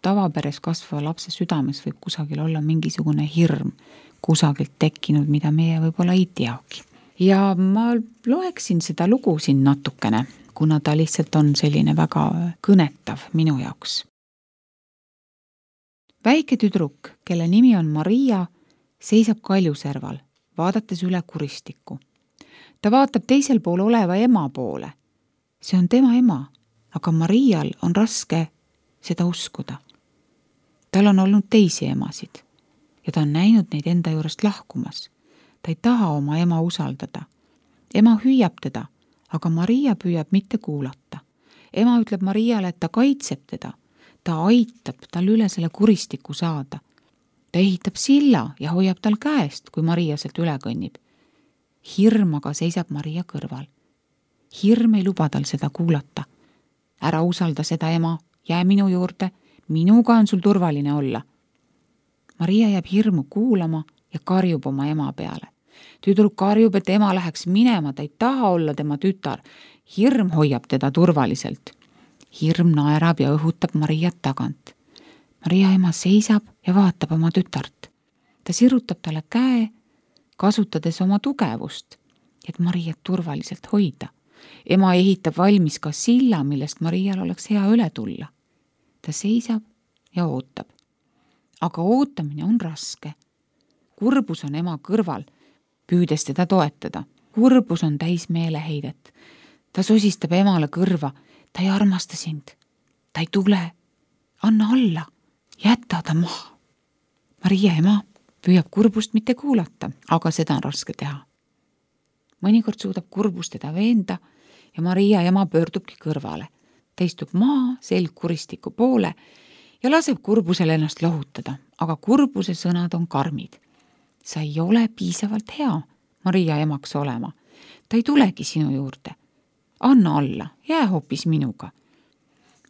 tavaperes kasvava lapse südames võib kusagil olla mingisugune hirm kusagilt tekkinud, mida meie võib-olla ei teagi. Ja ma loeksin seda lugu siin natukene, kuna ta lihtsalt on selline väga kõnetav minu jaoks. Väike tüdruk, kelle nimi on Maria, seisab kaljuserval, vaadates üle kuristikku. Ta vaatab teisel pool oleva ema poole. See on tema ema, aga Marial on raske seda uskuda. Tal on olnud teisi emasid ja ta on näinud neid enda juurest lahkumas. Ta ei taha oma ema usaldada. Ema hüüab teda, aga Maria püüab mitte kuulata. Ema ütleb Mariale, et ta kaitseb teda. Ta aitab tal üle selle kuristiku saada. Ta ehitab silla ja hoiab tal käest, kui Maria sealt üle kõnnib. Hirm aga seisab Maria kõrval. Hirm ei luba tal seda kuulata. Ära usalda seda ema, jää minu juurde, minuga on sul turvaline olla. Maria jääb hirmu kuulama ja karjub oma ema peale. Tüdruk karjub, et ema läheks minema, ta ei taha olla tema tütar. Hirm hoiab teda turvaliselt. Hirm naerab ja õhutab Mariat tagant. Maria ema seisab ja vaatab oma tütart. Ta sirutab talle käe, kasutades oma tugevust, et Mariat turvaliselt hoida. Ema ehitab valmis ka silla, millest Marial oleks hea üle tulla. Ta seisab ja ootab. Aga ootamine on raske. Kurbus on ema kõrval, püüdes teda toetada. Kurbus on täis meeleheidet. Ta sosistab emale kõrva. Ta ei armasta sind. Ta ei tule. Anna alla. Jäta ta maha. Maria ema püüab kurbust mitte kuulata, aga seda on raske teha. Mõnikord suudab kurbus teda veenda ja Maria ema pöördubki kõrvale. Ta istub maa selg kuristiku poole ja laseb kurbusel ennast lohutada, aga kurbuse sõnad on karmid. Sa ei ole piisavalt hea Maria emaks olema. Ta ei tulegi sinu juurde. Anna alla, jää hoopis minuga.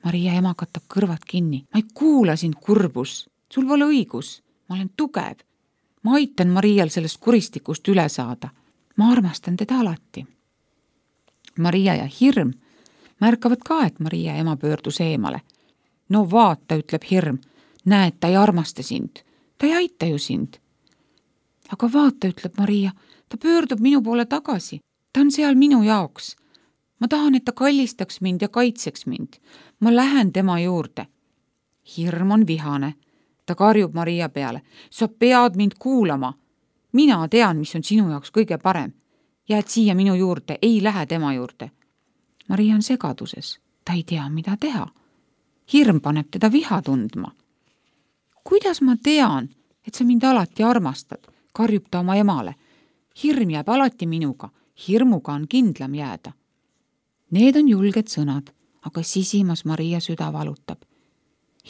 Maria ema katab kõrvad kinni. Ma ei kuula sind, kurbus. Sul pole õigus. Ma olen tugev. Ma aitan Marial sellest kuristikust üle saada. Ma armastan teda alati. Maria ja hirm märkavad ka, et Maria ema pöördus eemale. No vaata, ütleb hirm. Näed, ta ei armasta sind. Ta ei aita ju sind. Aga vaata, ütleb Maria, ta pöördub minu poole tagasi. Ta on seal minu jaoks. Ma tahan, et ta kallistaks mind ja kaitseks mind. Ma lähen tema juurde. Hirm on vihane. Ta karjub Maria peale. Sa pead mind kuulama. Mina tean, mis on sinu jaoks kõige parem. Jääd siia minu juurde, ei lähe tema juurde. Maria on segaduses. Ta ei tea, mida teha. Hirm paneb teda viha tundma. Kuidas ma tean, et sa mind alati armastad? Karjub ta oma emale. Hirm jääb alati minuga. Hirmuga on kindlam jääda. Need on julged sõnad, aga sisimas Maria süda valutab.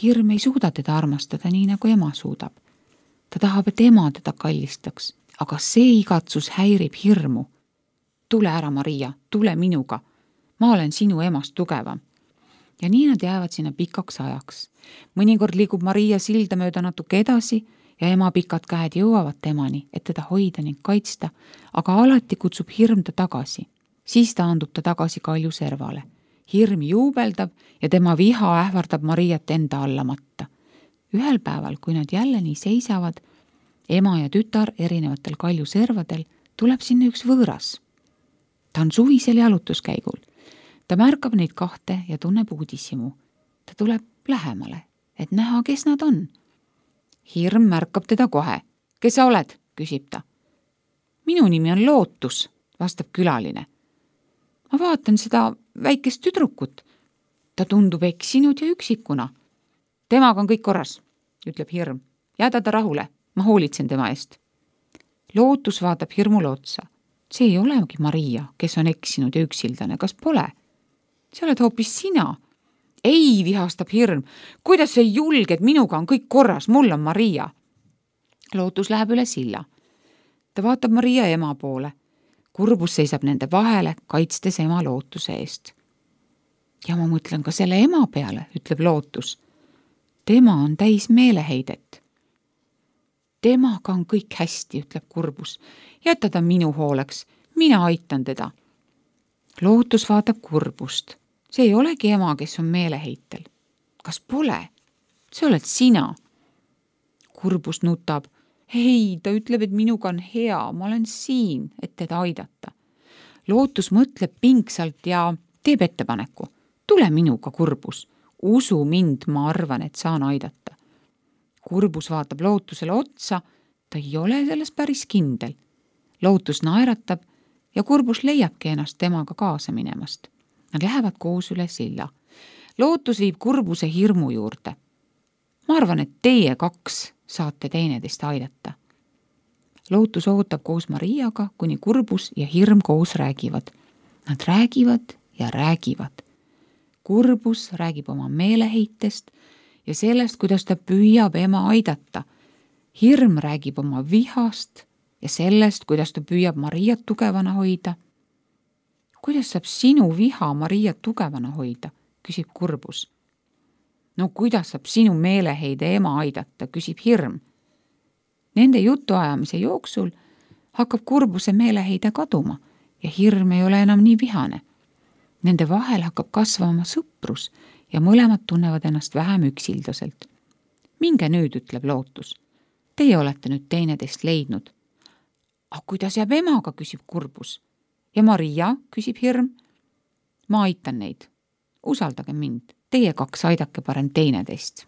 Hirm ei suuda teda armastada nii, nagu ema suudab. Ta tahab, et ema teda kallistaks, aga see igatsus häirib hirmu. Tule ära, Maria, tule minuga. Ma olen sinu emast tugevam. Ja nii nad jäävad sinna pikaks ajaks. Mõnikord liigub Maria silda mööda natuke edasi ja ema pikad käed jõuavad temani, et teda hoida ning kaitsta, aga alati kutsub hirm ta tagasi. Siis taandub ta tagasi kalju servale. Hirm juubeldab ja tema viha ähvardab Mariat enda alla matta. Ühel päeval, kui nad jälle nii seisavad, ema ja tütar erinevatel kalju servadel, tuleb sinna üks võõras. Ta on suvisel jalutuskäigul. Ta märkab neid kahte ja tunneb uudishimu. Ta tuleb lähemale, et näha, kes nad on. Hirm märkab teda kohe. Kes sa oled? Küsib ta. Minu nimi on Lootus, vastab külaline. Ma vaatan seda väikest tüdrukut. Ta tundub eksinud ja üksikuna. Temaga on kõik korras, ütleb hirm. Jäta ta rahule, ma hoolitsen tema eest. Lootus vaatab hirmule otsa. See ei olegi Maria, kes on eksinud ja üksildane, kas pole? See oled hoopis sina. Ei, vihastab hirm. Kuidas sa julged, minuga on kõik korras, mul on Maria. Lootus läheb üle silla. Ta vaatab Maria ema poole. Kurbus seisab nende vahele, kaitstes ema Lootuse eest. Ja ma mõtlen ka selle ema peale, ütleb Lootus. Tema on täis meeleheidet. Temaga on kõik hästi, ütleb Kurbus. Jäta ta minu hooleks, mina aitan teda. Lootus vaatab Kurbust. See ei olegi ema, kes on meeleheitel. Kas pole? See oled sina. Kurbus nutab. Ei, ta ütleb, et minuga on hea, ma olen siin, et teda aidata. Lootus mõtleb pingsalt ja teeb ettepaneku. Tule minuga, Kurbus. Usu mind, ma arvan, et saan aidata. Kurbus vaatab Lootusele otsa, ta ei ole selles päris kindel. Lootus naeratab ja Kurbus leiabki ennast temaga kaasa minemast. Nad lähevad koos üle silla. Lootus viib Kurbuse hirmu juurde. Ma arvan, et teie kaks saate teineteist aidata. Lootus ootab koos Mariaga, kuni Kurbus ja hirm koos räägivad. Nad räägivad ja räägivad. Kurbus räägib oma meeleheitest ja sellest, kuidas ta püüab ema aidata. Hirm räägib oma vihast ja sellest, kuidas ta püüab Mariat tugevana hoida. Kuidas saab sinu viha Mariat tugevana hoida, küsib Kurbus. No kuidas saab sinu meeleheide ema aidata, küsib hirm. Nende jutuajamise jooksul hakkab Kurbuse meeleheide kaduma ja hirm ei ole enam nii vihane. Nende vahel hakkab kasvama sõprus ja mõlemad tunnevad ennast vähem üksildaselt. Minge nüüd, ütleb Lootus. Teie olete nüüd teineteist leidnud. Aga kuidas jääb emaga, küsib Kurbus. Ja Maria, küsib hirm. Ma aitan neid. Usaldage mind. Teie kaks aidake parem teineteist.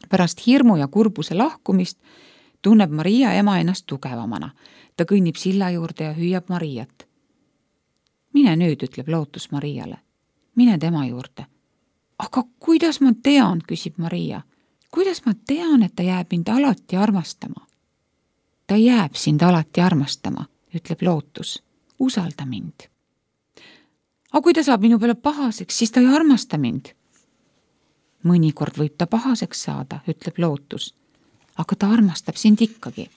Pärast hirmu ja Kurbuse lahkumist tunneb Maria ema ennast tugevamana. Ta kõnnib silla juurde ja hüüab Mariat. Mine nüüd, ütleb Lootus Mariale. Mine tema juurde. Aga kuidas ma tean, küsib Maria. Kuidas ma tean, et ta jääb mind alati armastama? Ta jääb sind alati armastama, ütleb Lootus. Usalda mind. Aga kui ta saab minu peale pahaseks, siis ta ei armasta mind. Mõnikord võib ta pahaseks saada, ütleb Lootus. Aga ta armastab sind ikkagi.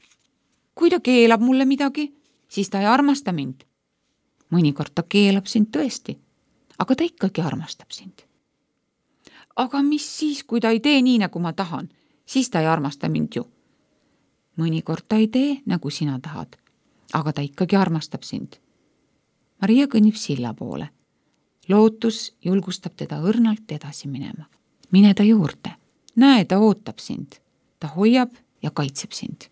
Kui ta keelab mulle midagi, siis ta ei armasta mind. Mõnikord ta keelab sind tõesti, aga ta ikkagi armastab sind. Aga mis siis, kui ta ei tee nii, nagu ma tahan, siis ta ei armasta mind ju. Mõnikord ta ei tee, nagu sina tahad, aga ta ikkagi armastab sind. Maria kõnnib silla poole. Lootus julgustab teda õrnalt edasi minema. Mine ta juurde. Näe, ta ootab sind. Ta hoiab ja kaitseb sind.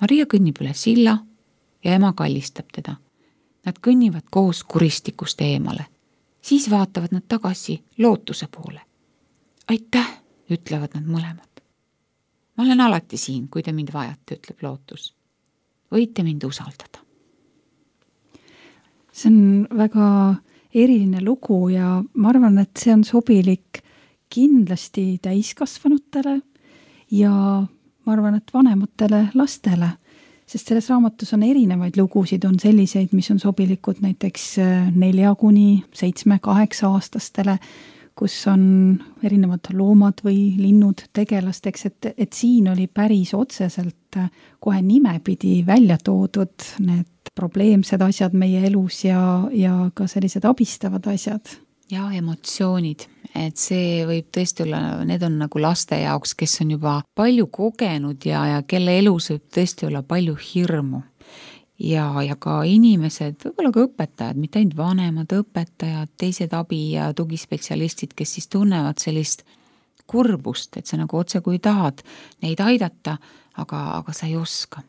Maria kõnnib üle silla ja ema kallistab teda. Nad kõnnivad koos kuristikust eemale. Siis vaatavad nad tagasi Lootuse poole. Aitäh, ütlevad nad mõlemad. Ma olen alati siin, kui te mind vajate, ütleb Lootus. Võite mind usaldada. See on väga eriline lugu ja ma arvan, et see on sobilik kindlasti täiskasvanutele ja ma arvan, et vanematele lastele, sest selles raamatus on erinevaid lugusid, on selliseid, mis on sobilikud näiteks nelja kuni seitsme, kaheksa aastastele, kus on erinevad loomad või linnud tegelasteks, et, et siin oli päris otseselt kohe nimepidi välja toodud need probleemsed asjad meie elus ja, ja ka sellised abistavad asjad. Ja emotsioonid, et see võib tõesti olla, need on nagu laste jaoks, kes on juba palju kogenud ja, ja kelle elus võib tõesti olla palju hirmu. Ja, ja ka inimesed, võib-olla ka õpetajad, mitte ainult vanemad õpetajad, teised abi- ja tugispetsialistid, kes siis tunnevad sellist kurbust, et sa nagu otse kui tahad neid aidata, aga, aga sa ei oska.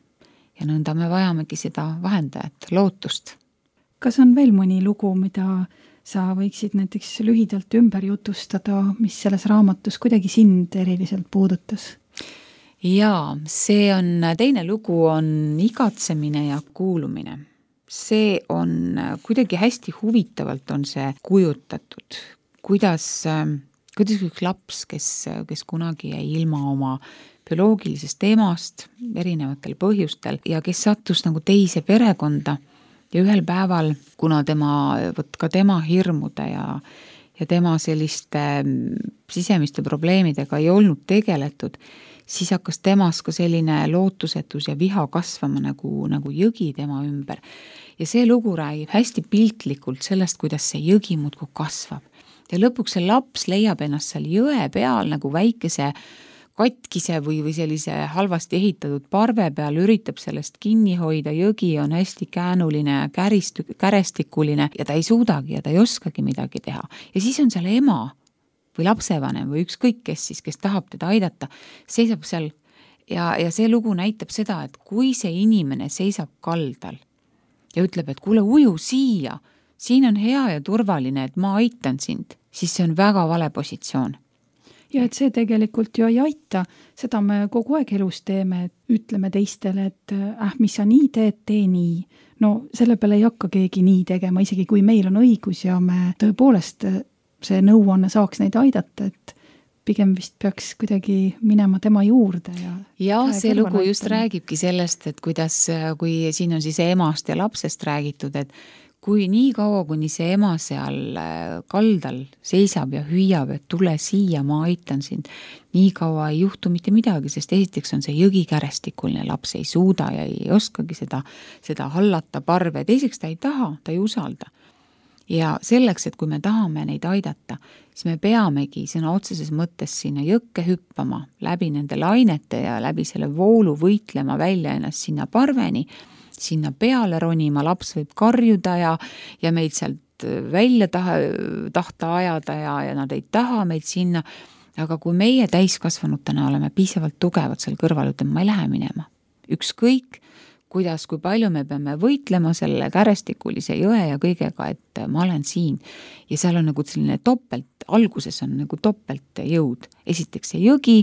Ja nõnda me vajamegi seda vahendajat, Lootust. Kas on veel mõni lugu, mida sa võiksid näiteks lühidalt ümber jutustada, mis selles raamatus kuidagi sind eriliselt puudutas? Jaa, see on, teine lugu on igatsemine ja kuulumine. See on kuidagi hästi huvitavalt on see kujutatud, kuidas, kuidas üks laps, kes, kes kunagi jäi ilma oma bioloogilisest emast erinevatel põhjustel ja kes sattus nagu teise perekonda ja ühel päeval, kuna tema, võt ka tema hirmude ja, ja tema selliste sisemiste probleemidega ei olnud tegeletud, siis hakkas temas ka selline lootusetus ja viha kasvama nagu, nagu jõgi tema ümber. Ja see lugu räägib hästi piltlikult sellest, kuidas see jõgi muudkui kasvab. Ja lõpuks see laps leiab ennast seal jõe peal nagu väikese katkise või, või sellise halvasti ehitatud parve peal, üritab sellest kinni hoida, jõgi on hästi käänuline ja käristu, kärestikuline ja ta ei suudagi ja ta ei oskagi midagi teha. Ja siis on seal ema või lapsevanem või ükskõik kes siis, kes tahab teda aidata, seisab seal ja, ja see lugu näitab seda, et kui see inimene seisab kaldal ja ütleb, et kuule, uju siia, siin on hea ja turvaline, et ma aitan sind, siis see on väga vale positsioon. Ja et see tegelikult ju ei aita, seda me kogu aeg elus teeme, et ütleme teistele, et äh, mis sa nii teed, tee nii. No selle peale ei hakka keegi nii tegema, isegi kui meil on õigus ja me tõepoolest see nõuanne saaks neid aidata, et pigem vist peaks kuidagi minema tema juurde. Ja, ja see lugu just aitama. Räägibki sellest, et kuidas, kui siin on siis emast ja lapsest räägitud, et kui nii kaua, kuni see ema seal kaldal seisab ja hüüab, et tule siia, ma aitan sind, nii kaua ei juhtu mitte midagi, sest esiteks on see jõgi kärestikuline, laps ei suuda ja ei oskagi seda, seda hallata parve, teiseks ta ei taha, ta ei usalda. Ja selleks, et kui me tahame neid aidata, siis me peamegi sõna otseses mõttes sinna jõkke hüppama, läbi nende lainete ja läbi selle voolu võitlema välja ennast sinna parveni, sinna peale ronima, laps võib karjuda ja, ja meid sealt välja taha, tahta ajada ja, ja nad ei taha meid sinna, aga kui meie täiskasvanutena oleme piisavalt tugevad seal kõrval, ütleme, ma ei lähe minema. Ükskõik, kuidas, kui palju me peame võitlema selle kärestikulise jõe ja kõigega, et ma olen siin. Ja seal on nagu selline topelt, alguses on nagu topelt jõud. Esiteks see jõgi,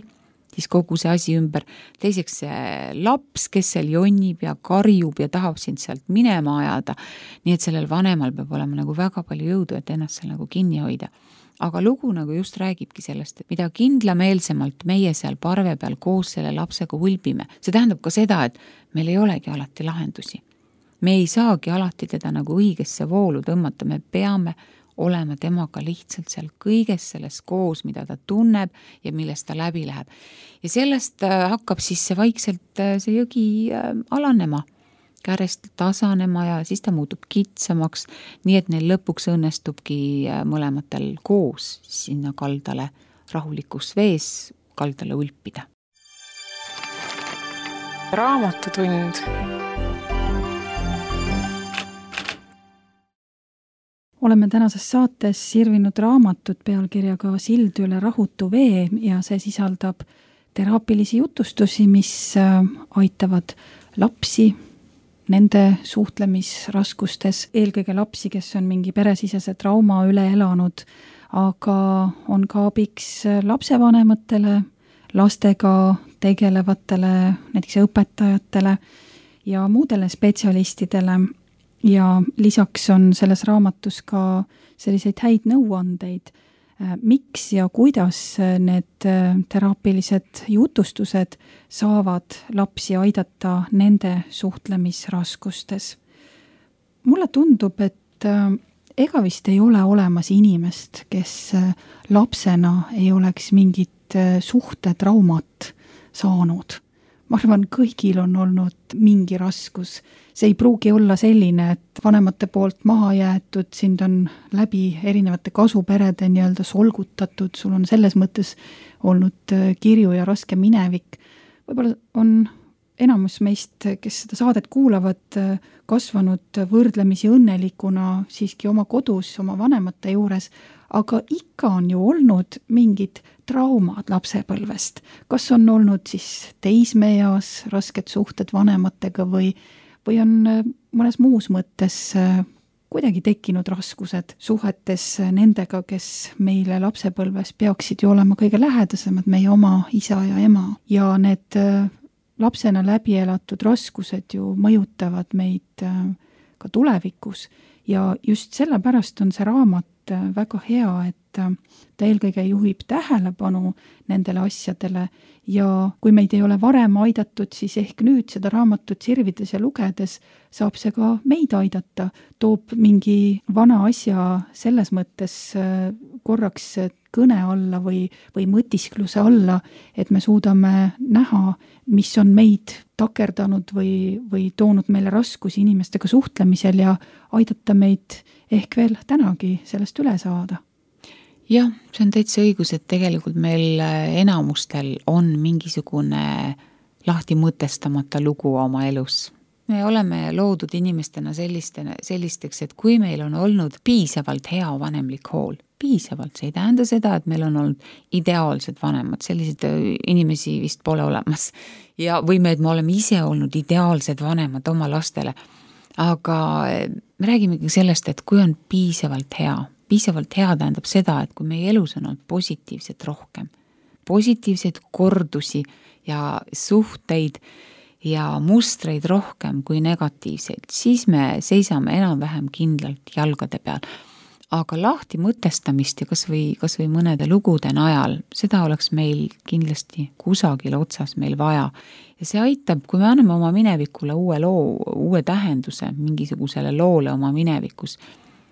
siis kogu see asi ümber. Teiseks see laps, kes seal jonnib ja karjub ja tahab sind sealt minema ajada. Nii et sellel vanemal peab olema nagu väga palju jõudu, et ennast seal nagu kinni hoida. Aga lugu nagu just räägibki sellest, et mida kindlameelsemalt meie seal parve peal koos selle lapsega hulbime. See tähendab ka seda, et meil ei olegi alati lahendusi. Me ei saagi alati teda nagu õigesse voolu tõmmata, me peame olema temaga lihtsalt seal kõiges selles koos, mida ta tunneb ja millest ta läbi läheb. Ja sellest hakkab siis see vaikselt see jõgi alanema, kärest tasanema ja siis ta muutub kitsamaks, nii et neil lõpuks õnnestubki mõlematel koos sinna kaldale rahulikus vees kaldale ulpida. Raamatutund. Oleme tänases saates sirvinud raamatut pealkirjaga Sild üle rahutu vee ja see sisaldab teraapilisi jutustusi, mis aitavad lapsi nende suhtlemisraskustes, eelkõige lapsi, kes on mingi peresisese trauma üle elanud, aga on ka abiks lapsevanematele, lastega tegelevatele, näiteks õpetajatele ja muudele spetsialistidele. Ja lisaks on selles raamatus ka selliseid häid nõuandeid, miks ja kuidas need teraapilised jutustused saavad lapsi aidata nende suhtlemisraskustes. Mulle tundub, et ega vist ei ole olemas inimest, kes lapsena ei oleks mingit suhtetraumat saanud. Ma arvan, kõigil on olnud mingi raskus. See ei pruugi olla selline, et vanemate poolt maha jäetud, sind on läbi erinevate kasuperede nii-öelda solgutatud, sul on selles mõttes olnud kirju ja raske minevik. Võib-olla on enamus meist, kes seda saadet kuulavad, kasvanud võrdlemisi õnnelikuna siiski oma kodus, oma vanemate juures, aga ikka on ju olnud mingid traumad lapsepõlvest. Kas on olnud siis teismeeas rasked suhted vanematega või, või on mõnes muus mõttes kuidagi tekkinud raskused suhetes nendega, kes meile lapsepõlves peaksid ju olema kõige lähedasemad, meie oma isa ja ema. Ja need lapsena läbi elatud raskused ju mõjutavad meid ka tulevikus ja just sellepärast on see raamat väga hea, et ta eelkõige juhib tähelepanu nendele asjadele ja kui meid ei ole varem aidatud, siis ehk nüüd seda raamatut sirvides ja lugedes saab see ka meid aidata, toob mingi vana asja selles mõttes korraks kõne alla või, või mõtiskluse alla, et me suudame näha, mis on meid takerdanud või, või toonud meile raskusi inimestega suhtlemisel ja aidata meid ehk veel tänagi sellest üle saada. Jah, see on täitsa õigus, et tegelikult meil enamustel on mingisugune lahti mõtestamata lugu oma elus. Me oleme loodud inimestena sellistena, sellisteks, et kui meil on olnud piisavalt hea vanemlik hool, piisavalt, see ei tähenda seda, et meil on olnud ideaalsed vanemad, sellised inimesi vist pole olemas. Ja või me, et me oleme ise olnud ideaalsed vanemad oma lastele. Aga me räägimegi sellest, et kui on piisavalt hea, piisavalt hea tähendab seda, et kui meie elus on olnud positiivset rohkem, positiivseid kordusi ja suhteid ja mustreid rohkem kui negatiivseid, siis me seisame enam-vähem kindlalt jalgade peal. Aga lahti mõtestamist ja kas või, kas või mõnede lugude najal, seda oleks meil kindlasti kusagil otsas meil vaja. Ja see aitab, kui me anname oma minevikule uue loo, uue tähenduse mingisugusele loole oma minevikus,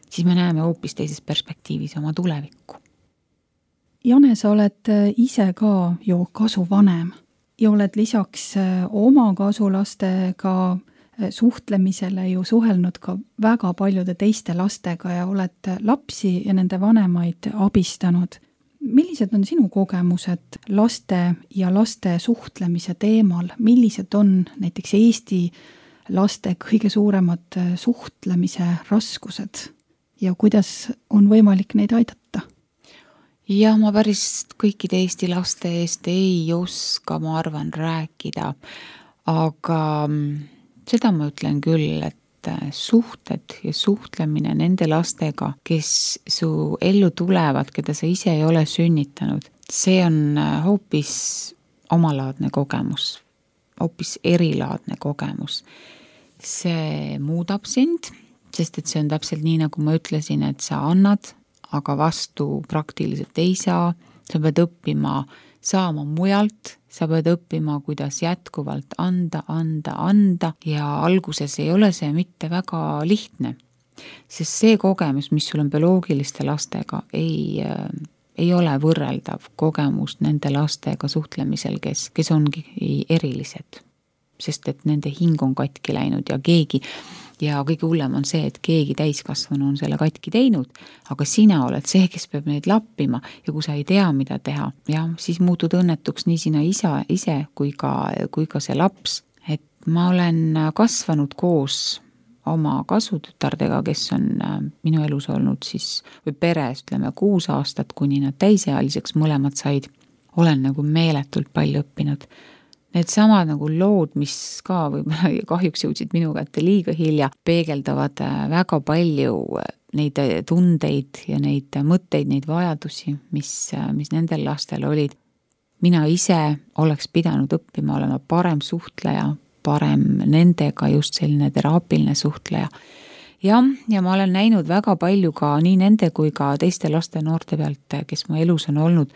siis me näeme hoopis teises perspektiivis oma tulevikku. Jane, sa oled ise ka ju kasuvanem ja oled lisaks oma kasulastega suhtlemisele ju suhelnud ka väga paljude teiste lastega ja oled lapsi ja nende vanemaid abistanud. Millised on sinu kogemused laste ja laste suhtlemise teemal? Millised on näiteks Eesti laste kõige suuremad suhtlemise raskused ja kuidas on võimalik neid aidata? Ja ma päris kõikide Eesti laste eest ei oska, ma arvan, rääkida, aga seda ma ütlen küll, et suhted ja suhtlemine nende lastega, kes su ellu tulevad, keda sa ise ei ole sünnitanud, see on hoopis omalaadne kogemus, hoopis erilaadne kogemus. See muudab sind, sest et see on täpselt nii, nagu ma ütlesin, et sa annad, aga vastu praktiliselt ei saa, sa pead õppima saama mujalt, sa pead õppima, kuidas jätkuvalt anda, anda, anda ja alguses ei ole see mitte väga lihtne, sest see kogemus, mis sul on bioloogiliste lastega, ei, ei ole võrreldav kogemus nende lastega suhtlemisel, kes, kes ongi erilised, sest et nende hing on katki läinud ja keegi ja kõige hullem on see, et keegi täiskasvanu on selle katki teinud, aga sina oled see, kes peab neid lappima ja kui sa ei tea, mida teha, ja siis muutud õnnetuks nii sina isa, ise kui ka, kui ka see laps. Et ma olen kasvanud koos oma kasutütardega, kes on minu elus olnud siis, või peres, ütleme, kuus aastat, kuni nad täisealiseks mõlemad said. Olen nagu meeletult palju õppinud. Need samad nagu lood, mis ka võib-olla kahjuks jõudsid minu kätte liiga hilja, peegeldavad väga palju neid tundeid ja neid mõtteid, neid vajadusi, mis, mis nendel lastel olid. Mina ise oleks pidanud õppima olema parem suhtleja, parem nendega just selline teraapiline suhtleja. Ja, ja ma olen näinud väga palju ka nii nende kui ka teiste laste noorte pealt, kes mu elus on olnud,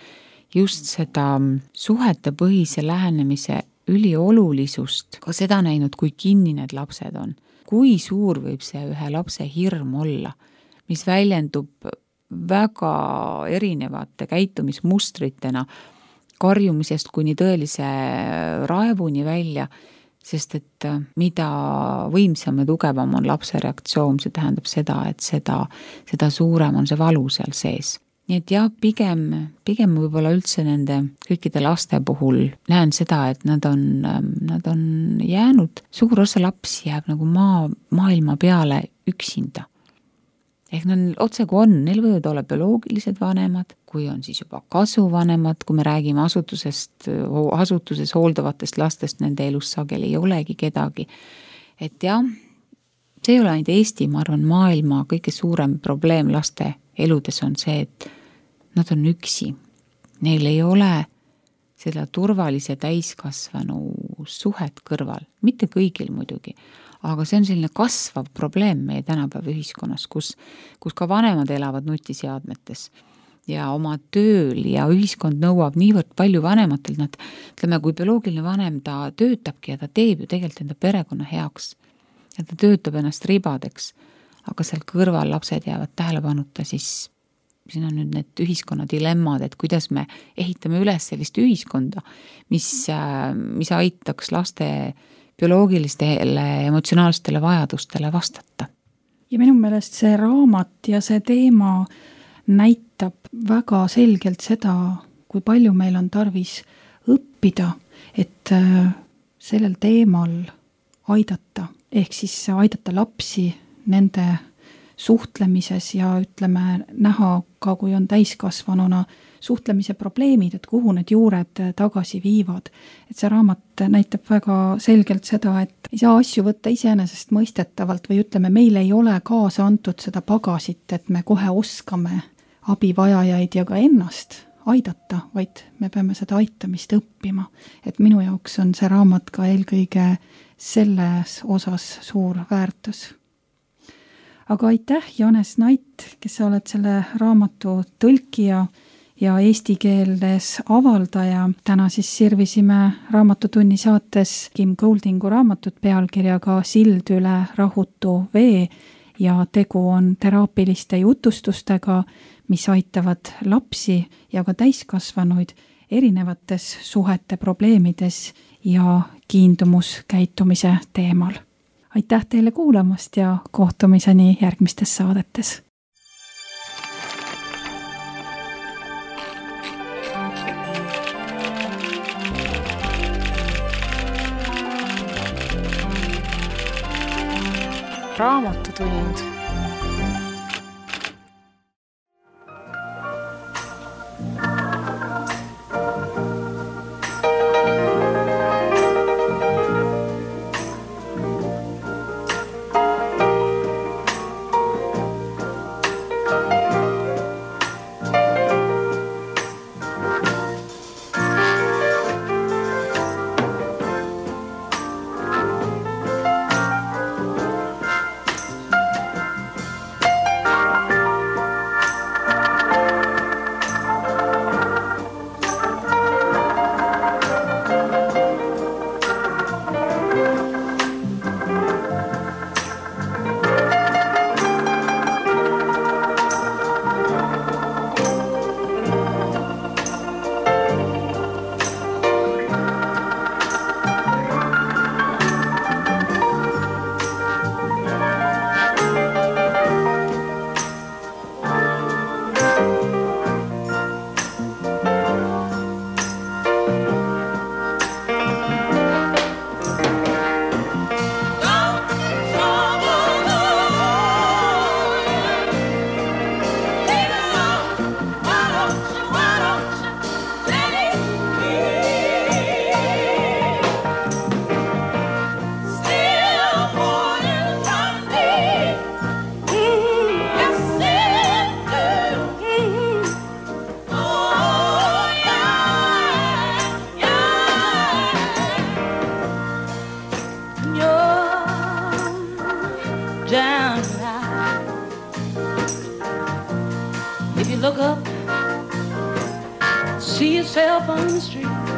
just seda suhete põhise lähenemise üliolulisust, ka seda näinud, kui kinni need lapsed on. Kui suur võib see ühe lapse hirm olla, mis väljendub väga erinevate käitumismustritena, karjumisest kuni tõelise raevuni välja, sest et mida võimsam ja tugevam on lapse reaktsioon, see tähendab seda, et seda, seda suurem on see valu seal sees. Nii et jah, pigem, pigem võib-olla üldse nende kõikide laste puhul näen seda, et nad on, nad on jäänud, suur osa lapsi jääb nagu maa, maailma peale üksinda. Ehk nad otse kui on, neil võivad olla bioloogilised vanemad, kui on siis juba kasuvanemad, kui me räägime asutusest, asutuses hooldavatest lastest, nende elus sageli ei olegi kedagi. Et jah, see ei ole ainult Eesti, ma arvan, maailma kõige suurem probleem laste eludes on see, et nad on üksi. Neil ei ole seda turvalise täiskasvanu suhet kõrval. Mitte kõigil muidugi, aga see on selline kasvav probleem meie tänapäeva ühiskonnas, kus, kus ka vanemad elavad nutiseadmetes ja oma tööl ja ühiskond nõuab niivõrd palju vanematelt, nad, ütleme, kui bioloogiline vanem ta töötabki ja ta teeb ju tegelikult enda perekonna heaks ja ta töötab ennast ribadeks, aga seal kõrval lapsed jäävad tähelepanuta, siis siin on nüüd need ühiskonna dilemmad, et kuidas me ehitame üles sellist ühiskonda, mis, mis aitaks laste bioloogilistele emotsionaalsetele vajadustele vastata. Ja minu meelest see raamat ja see teema näitab väga selgelt seda, kui palju meil on tarvis õppida, et sellel teemal aidata, ehk siis aidata lapsi nende suhtlemises ja ütleme näha ka, kui on täiskasvanuna suhtlemise probleemid, et kuhu need juured tagasi viivad. Et see raamat näitab väga selgelt seda, et ei saa asju võtta iseenesest mõistetavalt või ütleme, meil ei ole kaasa antud seda pagasit, et me kohe oskame abivajajaid ja ka ennast aidata, vaid me peame seda aitamist õppima. Et minu jaoks on see raamat ka eelkõige selles osas suur väärtus. Aga aitäh, Janes Nait, kes sa oled selle raamatu tõlkija ja eesti keeles avaldaja. Täna siis sirvisime Raamatutunni saates Kim Goldingu raamatut pealkirjaga Sild üle rahutu vee ja tegu on teraapiliste jutustustega, mis aitavad lapsi ja ka täiskasvanuid erinevates suhete probleemides ja kiindumuskäitumise teemal. Aitäh teile kuulamast ja kohtumiseni järgmistes saadetes. Raamatutund. Look up, see yourself on the street.